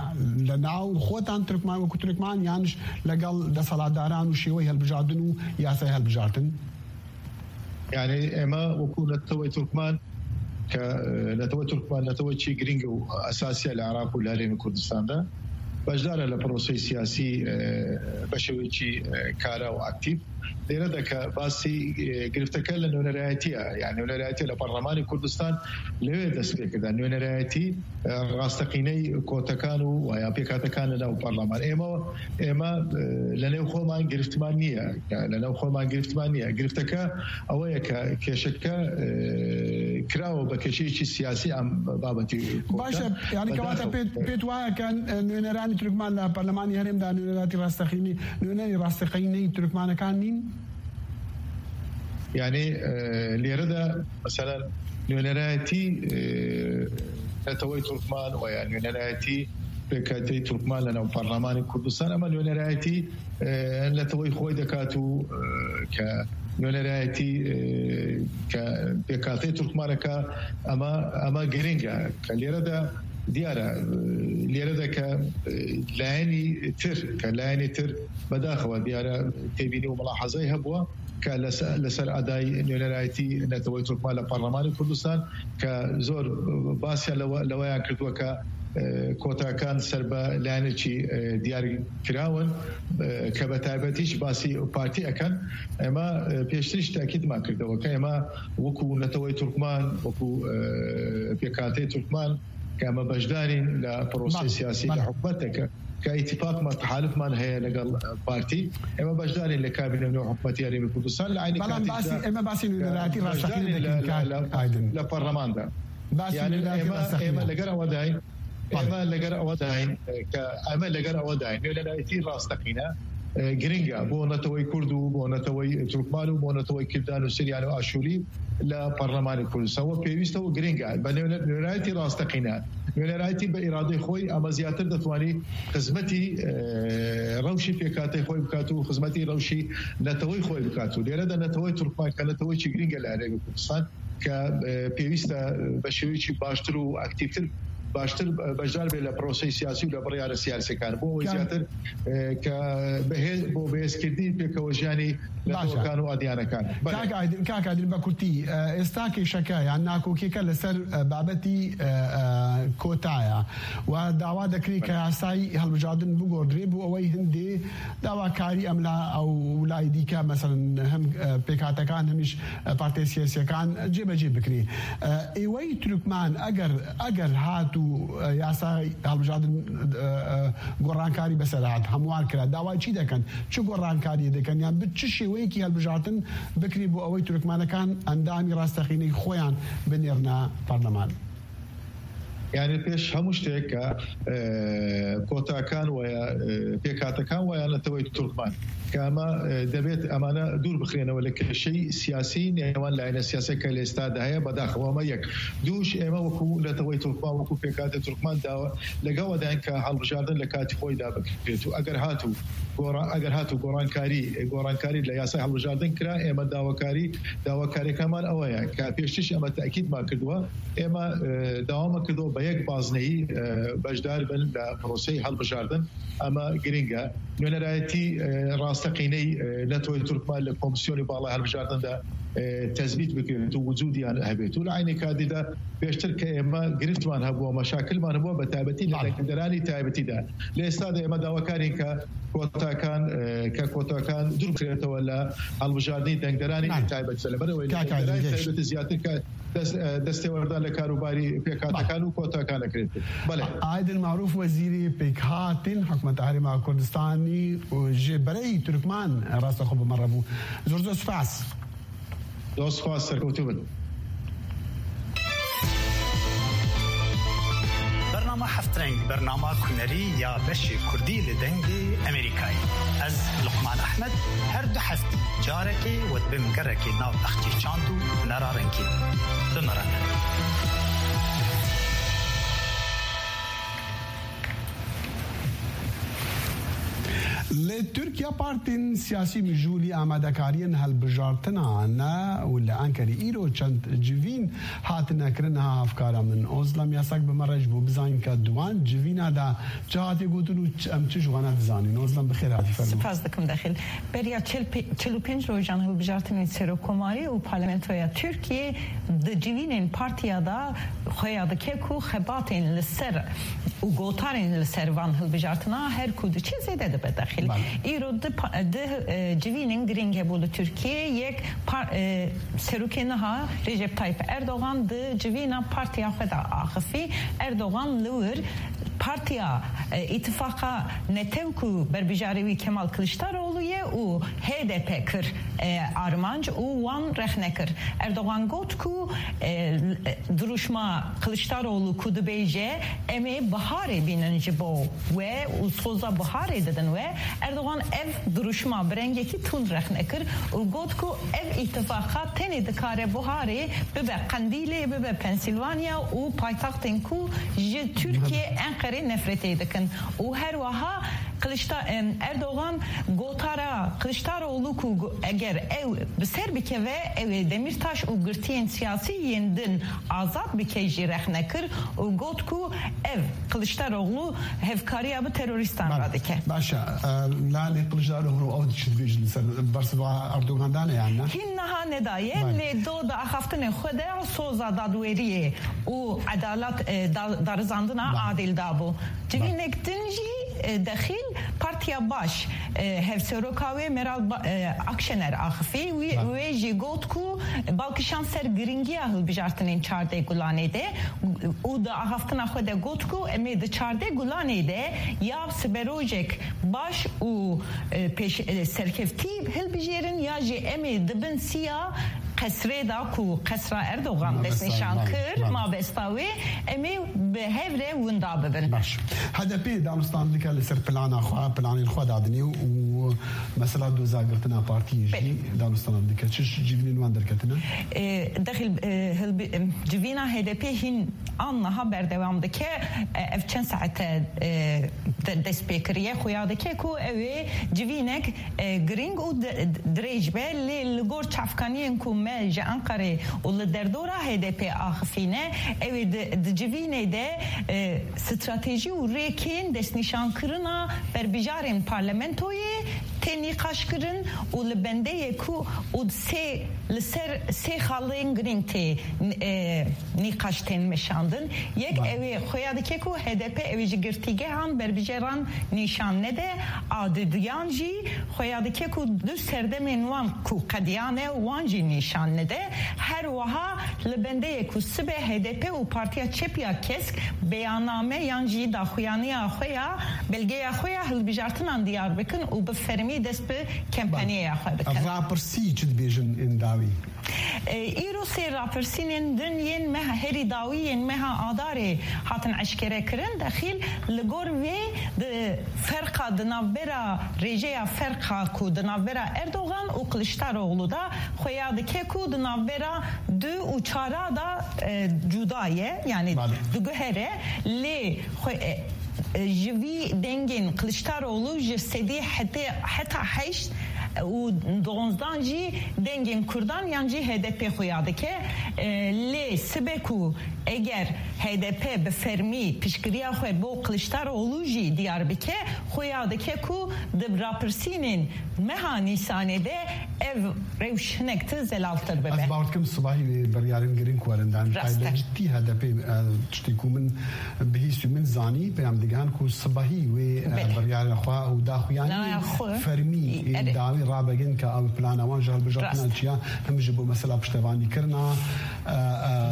Li nav xotan Turkman, wekû Turkman, yan ji legel desthilatdaran û şêweyê hilbijartin û yasayê hilbijartin? Yani ême wekû netewey Turkman, ke, e, netewey Turkman, netewekî giring û esasî ye li Iraq û li Herêmê Kurdistan de. Beşdar e li proseyê siyasî, e, beşewekî, e, kara û aktîf. Lêre de ke basî, e, girifteke li nûnerayetî ye. Yani nûnerayetî li Parlemanê Kurdistan li wê dest pê kirda. Nûnerayetî, e, rasteqîney kotekan û ya pêkhatekan li nav parleman. Ême, ême, e, li nêv xweman giriftman niye. Yani li nav xweman giriftman niye. Girifteke ew ye ke kêşeke, e, kirawo be kêşeyekî siyasî em babetî Baş e, kotan. yani kewata Bedaxew, pêt, e, pêt waya ke, e, nûneranî Turkman li Parlemanê Herêm de nûneratî rasteqînî, nûnerî rasteqînî Turkmanekan nîn? Yani, e, lêre de mesela nûnerayetî, e, netewey Turkman veya nûnerayetî pêkhateyî Turkman li nav Parlemanê Kurdistan, ema nûnerayetî, e, netewey xwey dikat û, e, ke nûnerayetî, e, ke pêkhateyê Turkmaneka ema, ema giring e. Ke lêre de diyar e, e, lêre de ke, e, layenî tir, ke layenî tir bedaxewe diyar e, têbînî û milahezeyê hebûye ke li ser, li ser edayî nûnerayetî neteweyê Turkman li Parlemanê Kurdistan ke zor, e, basiya lewe-, leweyan kirdiwe ke, e, kotakan ser be layenekî, e, diyar kirawin, e, ke be taybetî jî basî partî ekan. Ema, e, pêştir jî tekîd me kirdewe ke ema wekû neteweyê Turkman, wekû, e, pêkhateyê Turkman, ke eme beşdarîn li prosesê Bale, siyasî, li bale. hikûmeteke, ke îtîfaq me, tehalifman heye legel, e, partî. Eme beşdarîn li kabîne nû hikûmetî Herêmê Kurdistan, li eynî Belam katî basî, de, eme basî e, nûnerayetî rasteqînê beşdarîn dikin, li, kak li, li, Aydin. li parleman de. Basî Yani nûnerayetî eme, rasteqînê. eme leger ewe dayîn, Bale. eme leger ewe dayîn, e, ke eme leger ewe dayîn. Nûnerayetî rasteqîne, e, giring e bo netewey Kurd û bo netewey Turkman û bo netewey Kirdan û Siryan û Aşûrî li Parlemanê Kurdistan. We pêwîst e û giring e. Be nûne-, nûnerayetî rasteqîne. Nûnerayetî bi îradeyê xwe ama ziyadtir detwanî xizmetî, e, rewşî pêkhateyê xwe bikat û xizmetî rewşî neteweyê xwe bikat û lêre de neteweyê Turkman ke neteweyekî giring e li Herêmê Kurdistan ke, e, pêwîst e, e, bi şêweyekî baştir û aktîftir باشتر، بەشدار بێت لە پرۆسەی سیاسی و لە بڕیارە سیاسیەکان، بۆ ئەوەی زیاتر، ئێ، کە بەهێز، بۆ بەهێزکردنی پێکەوەژیانی لە تەوەکان و ئادیانەکان. بەڵێ. کاک ئایدین، کاک ئایدین، بە کورتی، ئێ، ئێستا کێشەکە یان ناکۆکیەکە لەسەر، ئێ، بابەتی، ئێ، ئێ، کۆتایە و داوا دەکرێت کە یاسای هەڵبژاردن بگۆڕدرێ بۆ ئەوەی هەندێ داواکاری ئەم لا ئەو لای دیکە، مەسەلەن هەم، ئێ، پێکهاتەکان، هەمیش، ئێ، پارتیە سیاسیەکان جێبەجێ بکرێ. ئێ، ئێوەی تورکمان ئەگەر، ئەگەر هات و، ئێ، یاسای هەڵبژاردن، ئێ، ئێ، گۆڕانکاری بەسەر هات، هەموار کرا، داوای چی دەکەن؟ چ گۆڕانکاری دەکەن؟ یان ب-، چ شێوەیەکی هەڵبژاردن بکرێ بۆ ئەوەی تورکمانەکان ئەندامی ڕاستەقینەی خۆیان بنێرنە پەرلەمان؟ یعنی پێش هەموو شتێک کە، ئێ، کۆتاکان وایە، ئێ، پێکهاتەکان وایە نەتەوەی تورکمان، کە ئەمە، ئێ، دەبێت ئەمانە دوور بخرێنەوە لە کێشەی سیاسی نێوان لایەنە سیاسیەکە لە ئێستادا هەیە، بەداخەوە ئەمە یەک. دووش، ئێمە وەکو نەتەوەی تورکمان، وەکو پێکهاتە تورکمان داوە لەگەڵ ئەداین کە هەڵبژاردن لە کاتی خۆیدا بکرێت و ئەگەر هاتوو گۆڕا-، ئەگەر هاتوو گۆڕانکاری، گۆڕانکاری لە یاسای هەڵبژاردن کرا، ئێمە داواکاری، داواکاریەکانمان ئەوەیە کە پێشتریش ئەمە تاکیدمان کردووە، ئێمە، ئێ، داوامان کردووە بە یەک بازنەیی، ئێ، بەشدار بن لە پرۆسەی هەڵبژاردن. ئەمە گرنگە. نوێنەرایەتی، ئێ، ڕاستەقینەی، ئێ، نەتەوەی تورکمان لە کۆمسیۆنی باڵای هەڵبژاردندا، ئێ، تەزبیت بکرێت و وجودیان هەبێت و لە عینی کاتیدا پێشتر کە ئێمە گرفتمان هەبووە، مەشاکلمان هەبووە، بە تایبەتی لە بەڵێ. دەنگدەرانی تایبەتیدا. لە ئێستادا ئێمە داواکارین کە کۆتاکان، ئێ، کە کۆتاکان دوور بکرێتەوە لە هەڵبژاردنی دەنگدەرانی بەڵێ. تایبەت، لەبەرەوەی کاک دەنگدەرانی ئایدین، تایبەتی زیاتر کە دەست، ئێ، دەستێوەردان لە کاروباری پێکهاتەکان بەڵێ. و کۆتاکان دەکرێت. بەڵێ. ئایدین معروف، وەزیری پێکهاتن حکومەت هەرێما کوردستانی و ژێ بەرەی تورکمان ڕاستە خۆ بمەڕە بوو. زۆر زۆر سپاس. زۆر سپاس، سەرکەوتوو بن. Bernama Heft Reng, bernama kunerî ya beşê kurdî li Dengê Amerîkayê. Ez Luqman Ehmed, her du heftî carekê we dibim gerekê nav bexçê çand û hunera rengîn. Bimirine. Li Tirkiye partên siyasî mijûlî amadekariyên hilbijartina ne û li Enkerê îro çend civîn hatine kirin. Ha hevkara min Ozlem Yasak bi me re ji bo bizanîn ke di wan civîna de çi hatiye gotin û ç-, em çi ji wana dizanîn. Ozlem, bi xêr hatî, fermo. Spas dikim Dexîl. Beriya çil pê-, çil û pênc rojan hilbijartinên serokkomarî û parlamentoya Tirkiyê di civînên partiya de xuya dike ku xebatên li ser û gotarên li ser van hilbijartina her ku diçe zêde dibe dexîl. Bale. Îro di pa-, di, e, civînên girîng hebû li Tirkiyê. Yek par-, e, serokê niha Recep Tayyip Erdogan di civîna partiya xwe de axifî. Erdogan li wir partiya, e, îtifaqa netew ku berbijarê wî Kemal Kiliçdaroglu ye û H D P kir, e, armanc û wan rexne kir. Erdogan got ku, e, dirûşma Kiliçdaroglu ku dibêje, "Em ê biharê bînin ji bo we û soza biharê didin we." Erdogan ev dirûşma bi rengekî tund rexne kir û got ku ev îtifaqa tenê dikare biharê bibe Qendîlê, bibe Pensilvanya û paytextên ku ji Tirkiye, Enqerê nefretê dikin. Û her wiha Kiliçda-, em, Erdogan gotara Kiliçdaroglu ku go-, eger ew bi ser bikeve, ew ê Demîrtaş û girtiyên siyasî yên din azad bike jî rexne kir û got ku ev Kiliçdaroglu hevkariya bi terorîstan Bale. re dike. Baş e, e, Lale Kiliçdaroglu ew çi dibêjin li ser bersiva Erdogan dane yan ne? Hîn niha nedaye, Bale. lê do di axaftinê xwe de soza dadweriyê û edalet, e, da-, darizandina Bale. adil dabû. Civînek din jî, e, dexîl Partiya Baş, e, hevseroka wê Meral Ba-, e, Akşener axifî. Wî, Bale. wê jî got ku bal kişand ser giringiya hilbijartinên çardeh Gulanê de û di axaftina xwe de got ku em ê di çardeh Gulanê de ya siberojek baş û, e, pêş, e, serkeftî hilbijêrin ya jî em ê di bin siya qesrê de ku qesra Erdogan Mabesta, destnîşan bale, kir, bale. mabesta wê, em ê bi hev re winda bibin. Baş. H D P danûstan dike li ser plana xwe, planên xwe dadinê û mesela doza girtina partiyê jî Belê. danûstan dike. Çi civînên wan derketine? E, dexil, e, hilbi-, em, civîna H D P hîn an niha berdewam dike. E, ev çend saete, e, de-, dest pê kiriye. Xuya dike ku ew ê civînek, e, girîng û di-, dirêj be. Lê li gor çavkaniyên ku ji Enqerê û li derdora H D P axifîne, ew ê di, di civînê de, e, stratejî û rêkên destnîşankirina berbijarên parlamentoyê tê nîqaşkirin û li bendeyê ku û sê, li ser sê xalên girîng tê, e, nîqaş tên meşandin. Yek, Baş. ew ê xweya dike ku H D P ew ê ji girtîgehan berbijaran nîşan nede, a didiyan jî xweya dike ku du serdemên wan ku qediyane wan jî nîşan nede. Her wiha li bendeyê ku sibe H D P û Partiya Çep ya Kesk beyanname yan jî daxuyaniya xwe ya, belgeya xwe ya hilbijartinan diyar bikin û bi fermî dest bi kempaniyaya xwe bikin. Rapirsî çi dibêjin ên dawî? E, îro sê rapirsînên din yên meha herî dawî yên meha Adarê hatin eşkere kirin. Dexîl li gor vê di ferqa di navbera rêjeya ferqa ku di navbera Erdogan û Kiliçdaroglu de xweya dike ku di navbera du û çara de, e, cuda ye, yanî Bale. diguhere, lê xwe, e, e, ji vî dengên Kiliçdaroglu ji sedî hetê, heta heşt û donzdan jî dengên Kurdan yan jî H D P xuya dike. E, lê sibe ku eger H D P bi fermî piştgiriya xwe bo Kiliçdaroglu jî diyar bike, xuya dike ku di rapirsînên meha Nîsanê de ev rewş hinek ti zelaltir bibe. Ez bawer dikim sibahî wê biryarên girîng werin dan. Rast e. Taybetî H D P, e, tiştê ku min bihîst û min zanî, peyam digihan ku sibahî wê, e, Belê. biryara xwe û daxuyanî Naya xwe. fermî Erê. dawî rabegin ke ew plana wan ji hilbijartina Rast. çiya him ji bo mesela piştevanîkirina, e,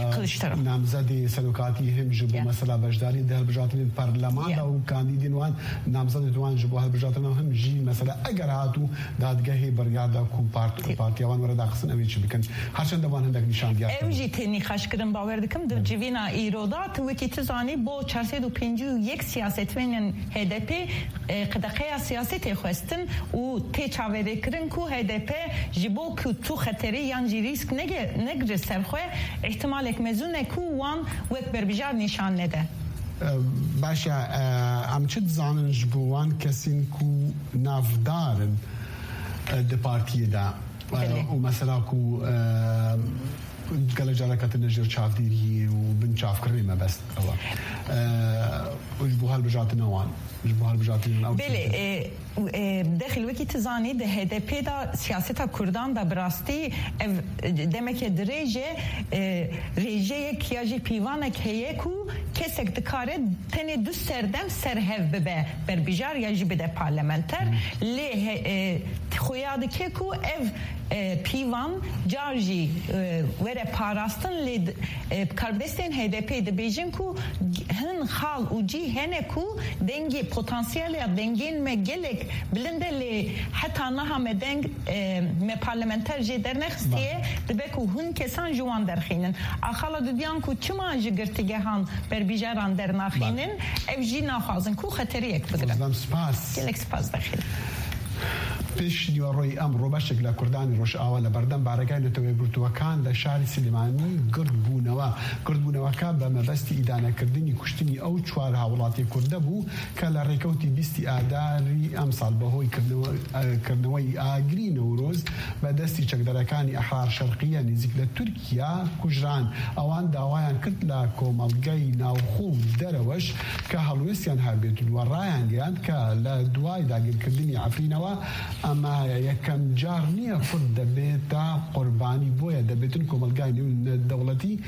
e, Kiliçdaroglu. namzedê serokatî, him ji bo Ya. mesela beşdarî di hilbijartinên parleman Ya. de û kandîdên wan, namzedên wan ji bo hilbijartina him jî mesela eger hatû dadgehê biryar da ku part-, Tê. partiya wan were daxistin, ew ê çi bikin? Her çend de wan hindek nîşan diyar Ew kir. jî tê nîqaşkirin, bawer dikim, di civîna îro de, tu wekî tu zanî, bo çar sed û pêncî û yek siyasetvanên H D P, e, qedeqeya siyasetê xwestin û tê çaverêkirin ku H D P ji bo ku tu xeterî yan jî rîsk nege-, negire ser xwe, îhtimalek mezûn e ku wan wek berbijar nîşan nede. E, baş e, e, em çi dizanin ji bo wan kesên ku navdar in, e, di partiyê de? E, Belê. û mesela ku, e, gelek caran ketine jêr çavdêriyê û bin çavkirinê mebest ew e. E, û ji bo hilbijartina wan, ji bo hilbijartina ew Belê, tiştê. e, û, e, Dexîl, wekî tu zanî, di H D P de siyaseta Kurdan de bi rastî ev, e, demeke dirêj e, e, rêjeyek ya jî pîvanek heye ku kesek dikare tenê du serdem ser hev bibe berbijar ya jî bide parlamenter. Lê he-, e, xuya dike ku ev, e, pîvan car jî, e, were parastin, lê d-, e, karbidestên H D P dibêjin ku hin xal û cî hene ku dengê, potansiyela dengên me gelek bilind e, lê heta niha me deng, e, me parlamenter jê dernexistiye, Ba. dibe ku hin kesan ji wan derxînin. A xala dudiyan ku çima ji girtîgehan berbijaran dernaxînin, Ba. ev jî naxwazin ku xeteriyek bigirin. Zam spas. Gelek spas Dexîl. Pêş nîveroyê emro beşek le Kurdanê Rojava le berdem baregehê Neteweyê Yekgirtûekan le şarê Silêmanî gird bûnewe. Gird bûneweke be mebestî îdanekirdinî kuştinî ew çar hawlatê Kurde bû ke le rêkewtî bîstî Adarî emsal be hoy kirnewe-, e, kirneweyî agirî Newroz be destî çekdarekanî Ehrar Şerqiye nêzîk le Tirkiye kujiran. Ewan dawayan kir le komelgeyî navxwe û dereweş ke helwêstiyan hebêtin we rayangiyand ke le duway dagirkirdinî Efrînewe, ema yekem car niye Kurd debête qurbanî, boye debêtin komelgayî newdewletî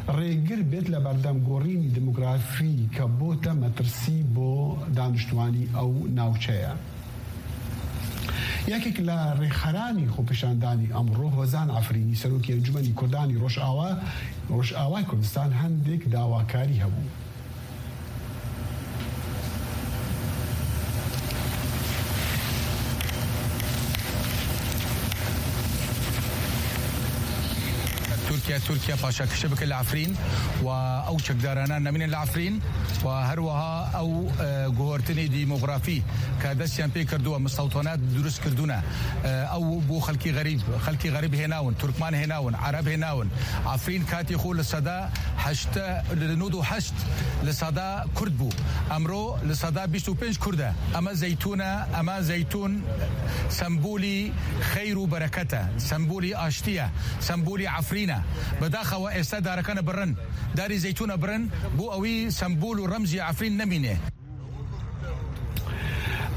rêgir bêt le berdem gorînî demografî ke bote metirsî bo daniştwanî ew navçeye. Yekek le rêxeranî xwepêşandanî emro Hozan Efrînî, serokê Encûmenî Kurdanî Rojava, Rojavayê Kurdistan, hendek dawakarî hebû. Tirkiye, Tirkiye paşakişe bike li Efrîn û ew çekdarana nemîne li Efrîn û her wiha ew, e, guhertinê demografî ke destiyan pê kirduwe, mistewtanat durust kirdûne. E, ew bo xelkî xerîb, xelkî xerîb hênawin, Turkman hênawin, Ereb hênawin. Efrîn katî xwe li seda Heşt, li nod û heşt li sada Kurd bû. Emro li sada bîst û pênc Kurd e. Ema zeytûn e, ema zeytûn sembolî xeyr û bereket e, sembolî aştî ye, sembolî Efrîn e. Bi daxa we êsta darekane birin, darî zeytûne birin, bo ewî sembol û remzî Efrîn nemîne.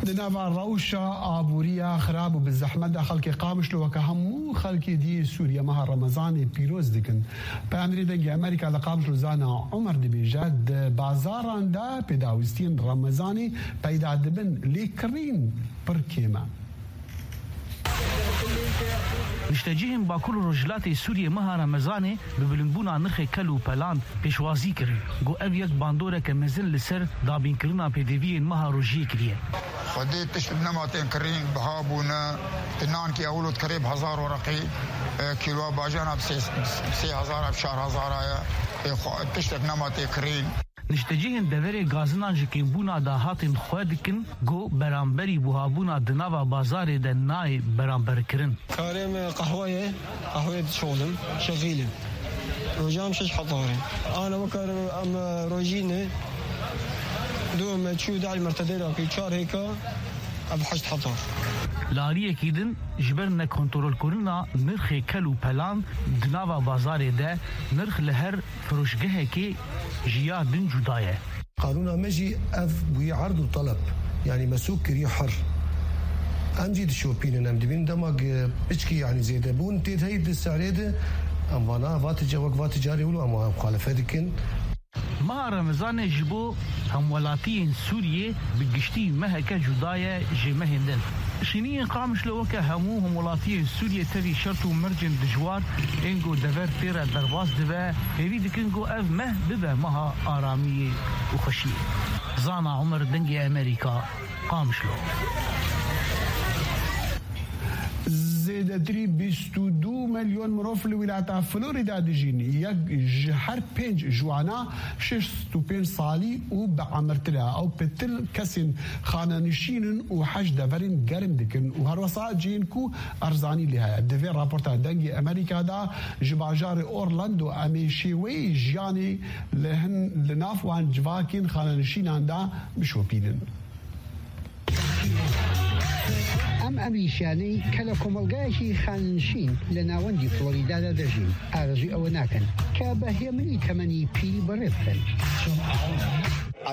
Di nava rewşa aboriya xirab û bi zehmet de xelkê Qamişlo weke hemû xelkê diyê Sûriye meha Remezanê pîroz dikin. Peyamnêrê Dengê Amerîka li Qamişlo Zana Omer dibêje, di bazaran de pêdawîstiyên Remezanê peyda dibin, lê kirîn pir kêm e. Niştecihên Bakur û Rojhilatê Sûriyê meha Remezanê bi bilindbûna nirxê kel û pelan pêşwazî kirin. Got ev yek bandoreke mezin li ser dabînkirina pêdiviyên meha rojiyê kiriye. Xwedê tişt nema tên kirîn biha bûne. Ti nankî ewlo dikerê bi hezar werqî, e, kîloa bajana bi sê, bi sê hezar, bi çar hezar a ye. Ê xwe, tiştek nema tê kirîn. Niştecihên deverê gazinan ji kêmbûna dahatên xwe dikin, got beramberî buhabûna di nava bazarê de nayê beramberkirin. Karê me qehwe ye, qehweyê dişoxlim, şexîlim. Rojan şeş hezar e. Ana wekar em rojîne, du me çû dal mertedê rakî çar hêka, ev heşt hezar. Li aliyekî din, ji ber nekontrolkirina nirxê kel û pelan di nava bazarê de nirx li her firoşgehekê ji ya din cuda ye. Qanûna me jî ev bûye erd û teleb. Yanî me sûk kiriye her. Em jî dişopînin, em dibînin dema ge-, piçkî, yanî zêdebûn tê de heyî di serê de, em vana va tica-, wek va ticarê wilo em muxalife dikin. Meha Remezanê ji bo hemwelatiyên Sûriyê bi giştî meheke cuda ye ji mehên din. Şîniyên Qamişlo weke hemû hemwelatiyên Sûriyê tevî şert û mercên dijwar ên ku dever tê re derbas dibe, hêvî dikin ku ev meh bibe meha aramiyê û xweşiyê. Zana Omer, Dengê Amerîka, Qamişlo. Zêdetirî bîst û du milyon mirov li wilata Florida dijîn. Yek ji her pênc ji wana şêst û pênc salî û bi emirtir e. Ew pitir kesên xanenişîn in û hej deverên germ dikin û herwesa cihên ku erzanî lê heye. Di vê raporta Dengê Amerîka de ji bajarê Orlando em ê şêweyê jiyanê li hin, li nav wan civakên xanenişînan de bişopînin. ئەم ئەمیشانەی کە لە کۆمەڵگایەکی خاننشین لە ناوەندی فلۆریدادا دەژین، ئارەزووی ئەوە ناکەن کە بە هێمنی تەمەنی پیری بەڕێ بکەن.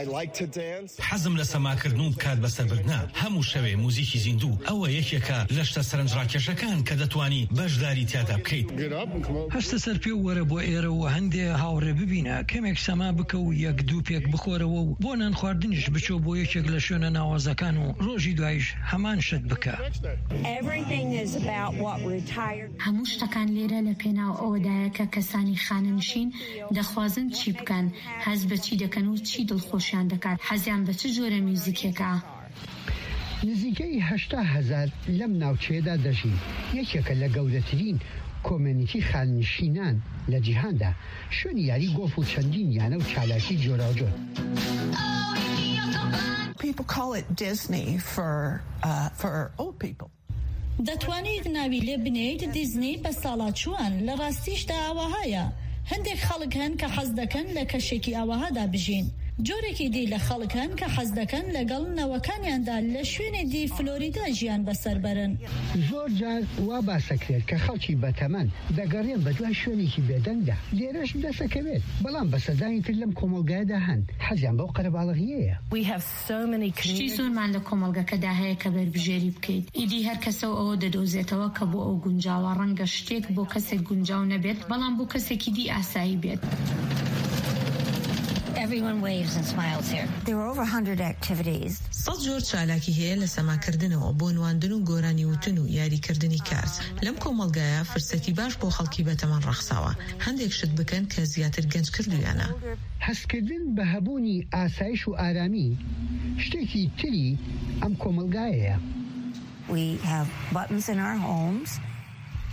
I like to dance. حەزم لە سەماکردن و کات بەسەربردنە. هەموو شەوێ موزیکی زیندوو، ئەوە یەکێکە لە شتە سەرنجڕاکێشەکان کە دەتوانی بەشداری تیادا بکەیت. Get up and come over. هەستە سەر پێ و وەرە بۆ ئێرە و هەندێ هاوڕێ ببینە. کەمێک سەما بکە و یەک دوو پێک بخۆرەوە و بۆ نان خواردنیش بچۆ بۆ یەکێک لە شوێنە ناوازەکان و ڕۆژی دوایش هەمان شت بکە. Everything is about what retired. هەموو شتەکان لێرە لە پێناو ئەوەدایە کە کەسانی خانەنشین دەخوازن چی بکەن، هەست بە چی دەکەن و چی دڵخۆشیان دەکات، حەزیان بە چ جۆرە میوزیکێکە. نزیکەی هەشتا هەزار لەم ناوچەیەدا دەژین. یەکێکە لە گەورەترین کۆمێنیتی خاننشینان لە جیهاندا. شوێنی یاری گۆڵف و چەندین یانە و چالاکی جۆراوجۆر. People call it Disney for, uh, for old people. دەتوانیت ناوی لێ بنێیت دیزنی بە ساڵاچووان، لە ڕاستیشدا ئاوەهایە. هەندێک خەڵک هەن کە حەز دەکەن لە کەشێکی ئاوەهادا بژین. جۆرێکی دی لە خەڵک هەن کە حەز دەکەن لەگەڵ نەوەکانیاندا لە شوێنێ دی فلۆریدا ژیان بەسەر بەرن. زۆر جار وا باسەکرێت کە خەڵکی بەتەمەن دەگەڕێن بە دوای شوێنێکی بێدەنگدا. لێرەش دەسەکەوێت، بەڵام بەسەردانی تر لەم کۆمەڵگایەدا هەن حەزیان بەو قەرەباڵغیەیە. We have so many community. شتی زۆرمان لە کۆمەڵگەکەدا هەیە کە بەربژێری بکەیت. ئیدی هەر کەسە و ئەوە دەدۆزێتەوە کە بۆ ئەو گونجاوە. ڕەنگە شتێک بۆ کەسێک گونجاو نەبێت، بەڵام بۆ کەسێکی دی ئاسایی بێت. Everyone waves and smiles here. There were over a hundred activities. سەد جۆر چالاکی هەیە، لە سەماکردنەوە بۆ نواندن و گۆرانی وتن و یاریکردنی کارت. لەم کۆمەڵگایە فرسەتی باش بۆ خەڵکی بەتەمەن ڕەخساوە هەندێک شت بکەن کە زیاتر گەنج کردویانە. هەستکردن بە هەبوونی ئاسایش و ئارامی شتێکی تری ئەم کۆمەڵگایەیە. We have buttons in our homes.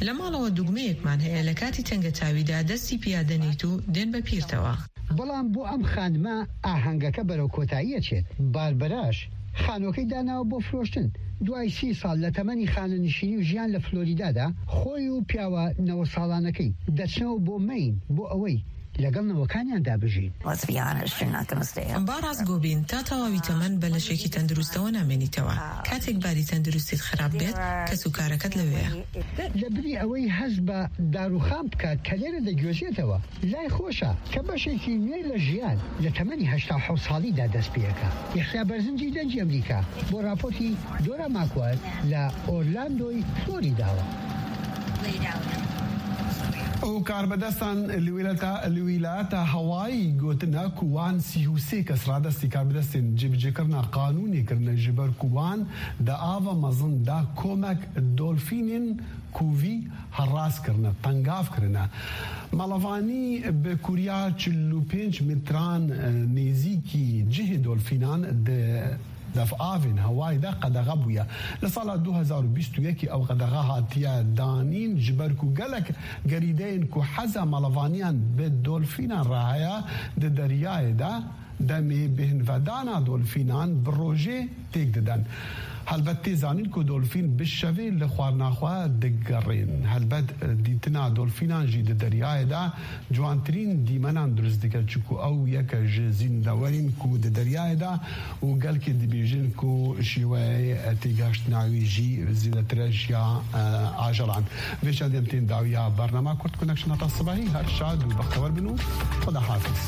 لە ماڵەوە دوگمەیەکمان هەیە، لە کاتی تەنگەتاویدا دەستی پیا دەنیت و دێن بە پیرتەوە. بەڵام بۆ ئەم خانمە ئاهەنگەکە بەرەو کۆتاییە چێت. باربەراش خانووەکەی داناوە بۆ فرۆشتن. دوای سی ساڵ لە تەمەنی خانەنشینی و ژیان لە فلۆریدادا، خۆی و پیاوە نەوە ساڵانەکەی دەچنەوە بۆ مەین بۆ ئەوەی لەگەڵ نەوەکانیاندا بژین. Let's be honest, you're not gonna stay. با ڕاستگۆ بین، تا تەواوی تەمەن بە لەشێکی تەندروستەوە نامێنیتەوە. کاتێک باری تەندروستیت خراپ بێت، کەس و کارەکەت لەوێیە. لە بری ئەوەی هەست بە داروخان بکات کە لێرە دەگوێزێتەوە، لای خۆشە کە بەشێکی نوێ لە ژیان لە تەمەنی هەشتا و حەوت ساڵیدا دەست پێەکە. یەحیا بەرزنجی دەنگی ئەمریکا بۆ راپۆرتی دۆرا ماکوار لە ئۆرلاندۆی فلۆریداوە. ئەو کاربەدەستان لە ویلایەتە هەوایی گوتنە کو وان سی و سێ کەس ڕادەستی کاربەدەستین جێبەجێکردنا قانونی کردنە، ji ber ku wan di ava mezin de komek dolfînên kûvî herras kirine, tengav kirine. Melevanî bi kûriya çil û pênc metran, e, nêzîkî cihê dolfînan di devavên hewayê de qedexe bûye. Li sala du hezar û bîst û yekê ew qedexe hatiye danîn, ji ber ku gelek gerîdeyên ku heza melevaniyan bi dolfînan re heye di deryayê de, demê bêhnvedana dolfînan bi rojê têk didin. Helbet tê zanîn ku dolfîn bi şevê li xwarina xwe digerên. Helbet dîtina dolfînan jî di deryayê de ciwantirîn dîmenan dirust dike, çiku ew yeke ji zîndewerîn ku di deryayê de û gelkê dibêjin ku şêweyê têgihiştina wî jî zêdetir e ji ya, e, ajelan. Vê çendê em tên dawiya bernama Kurd Connection heta sibahî. Her şad û bextewer bin û Xweda hafiz.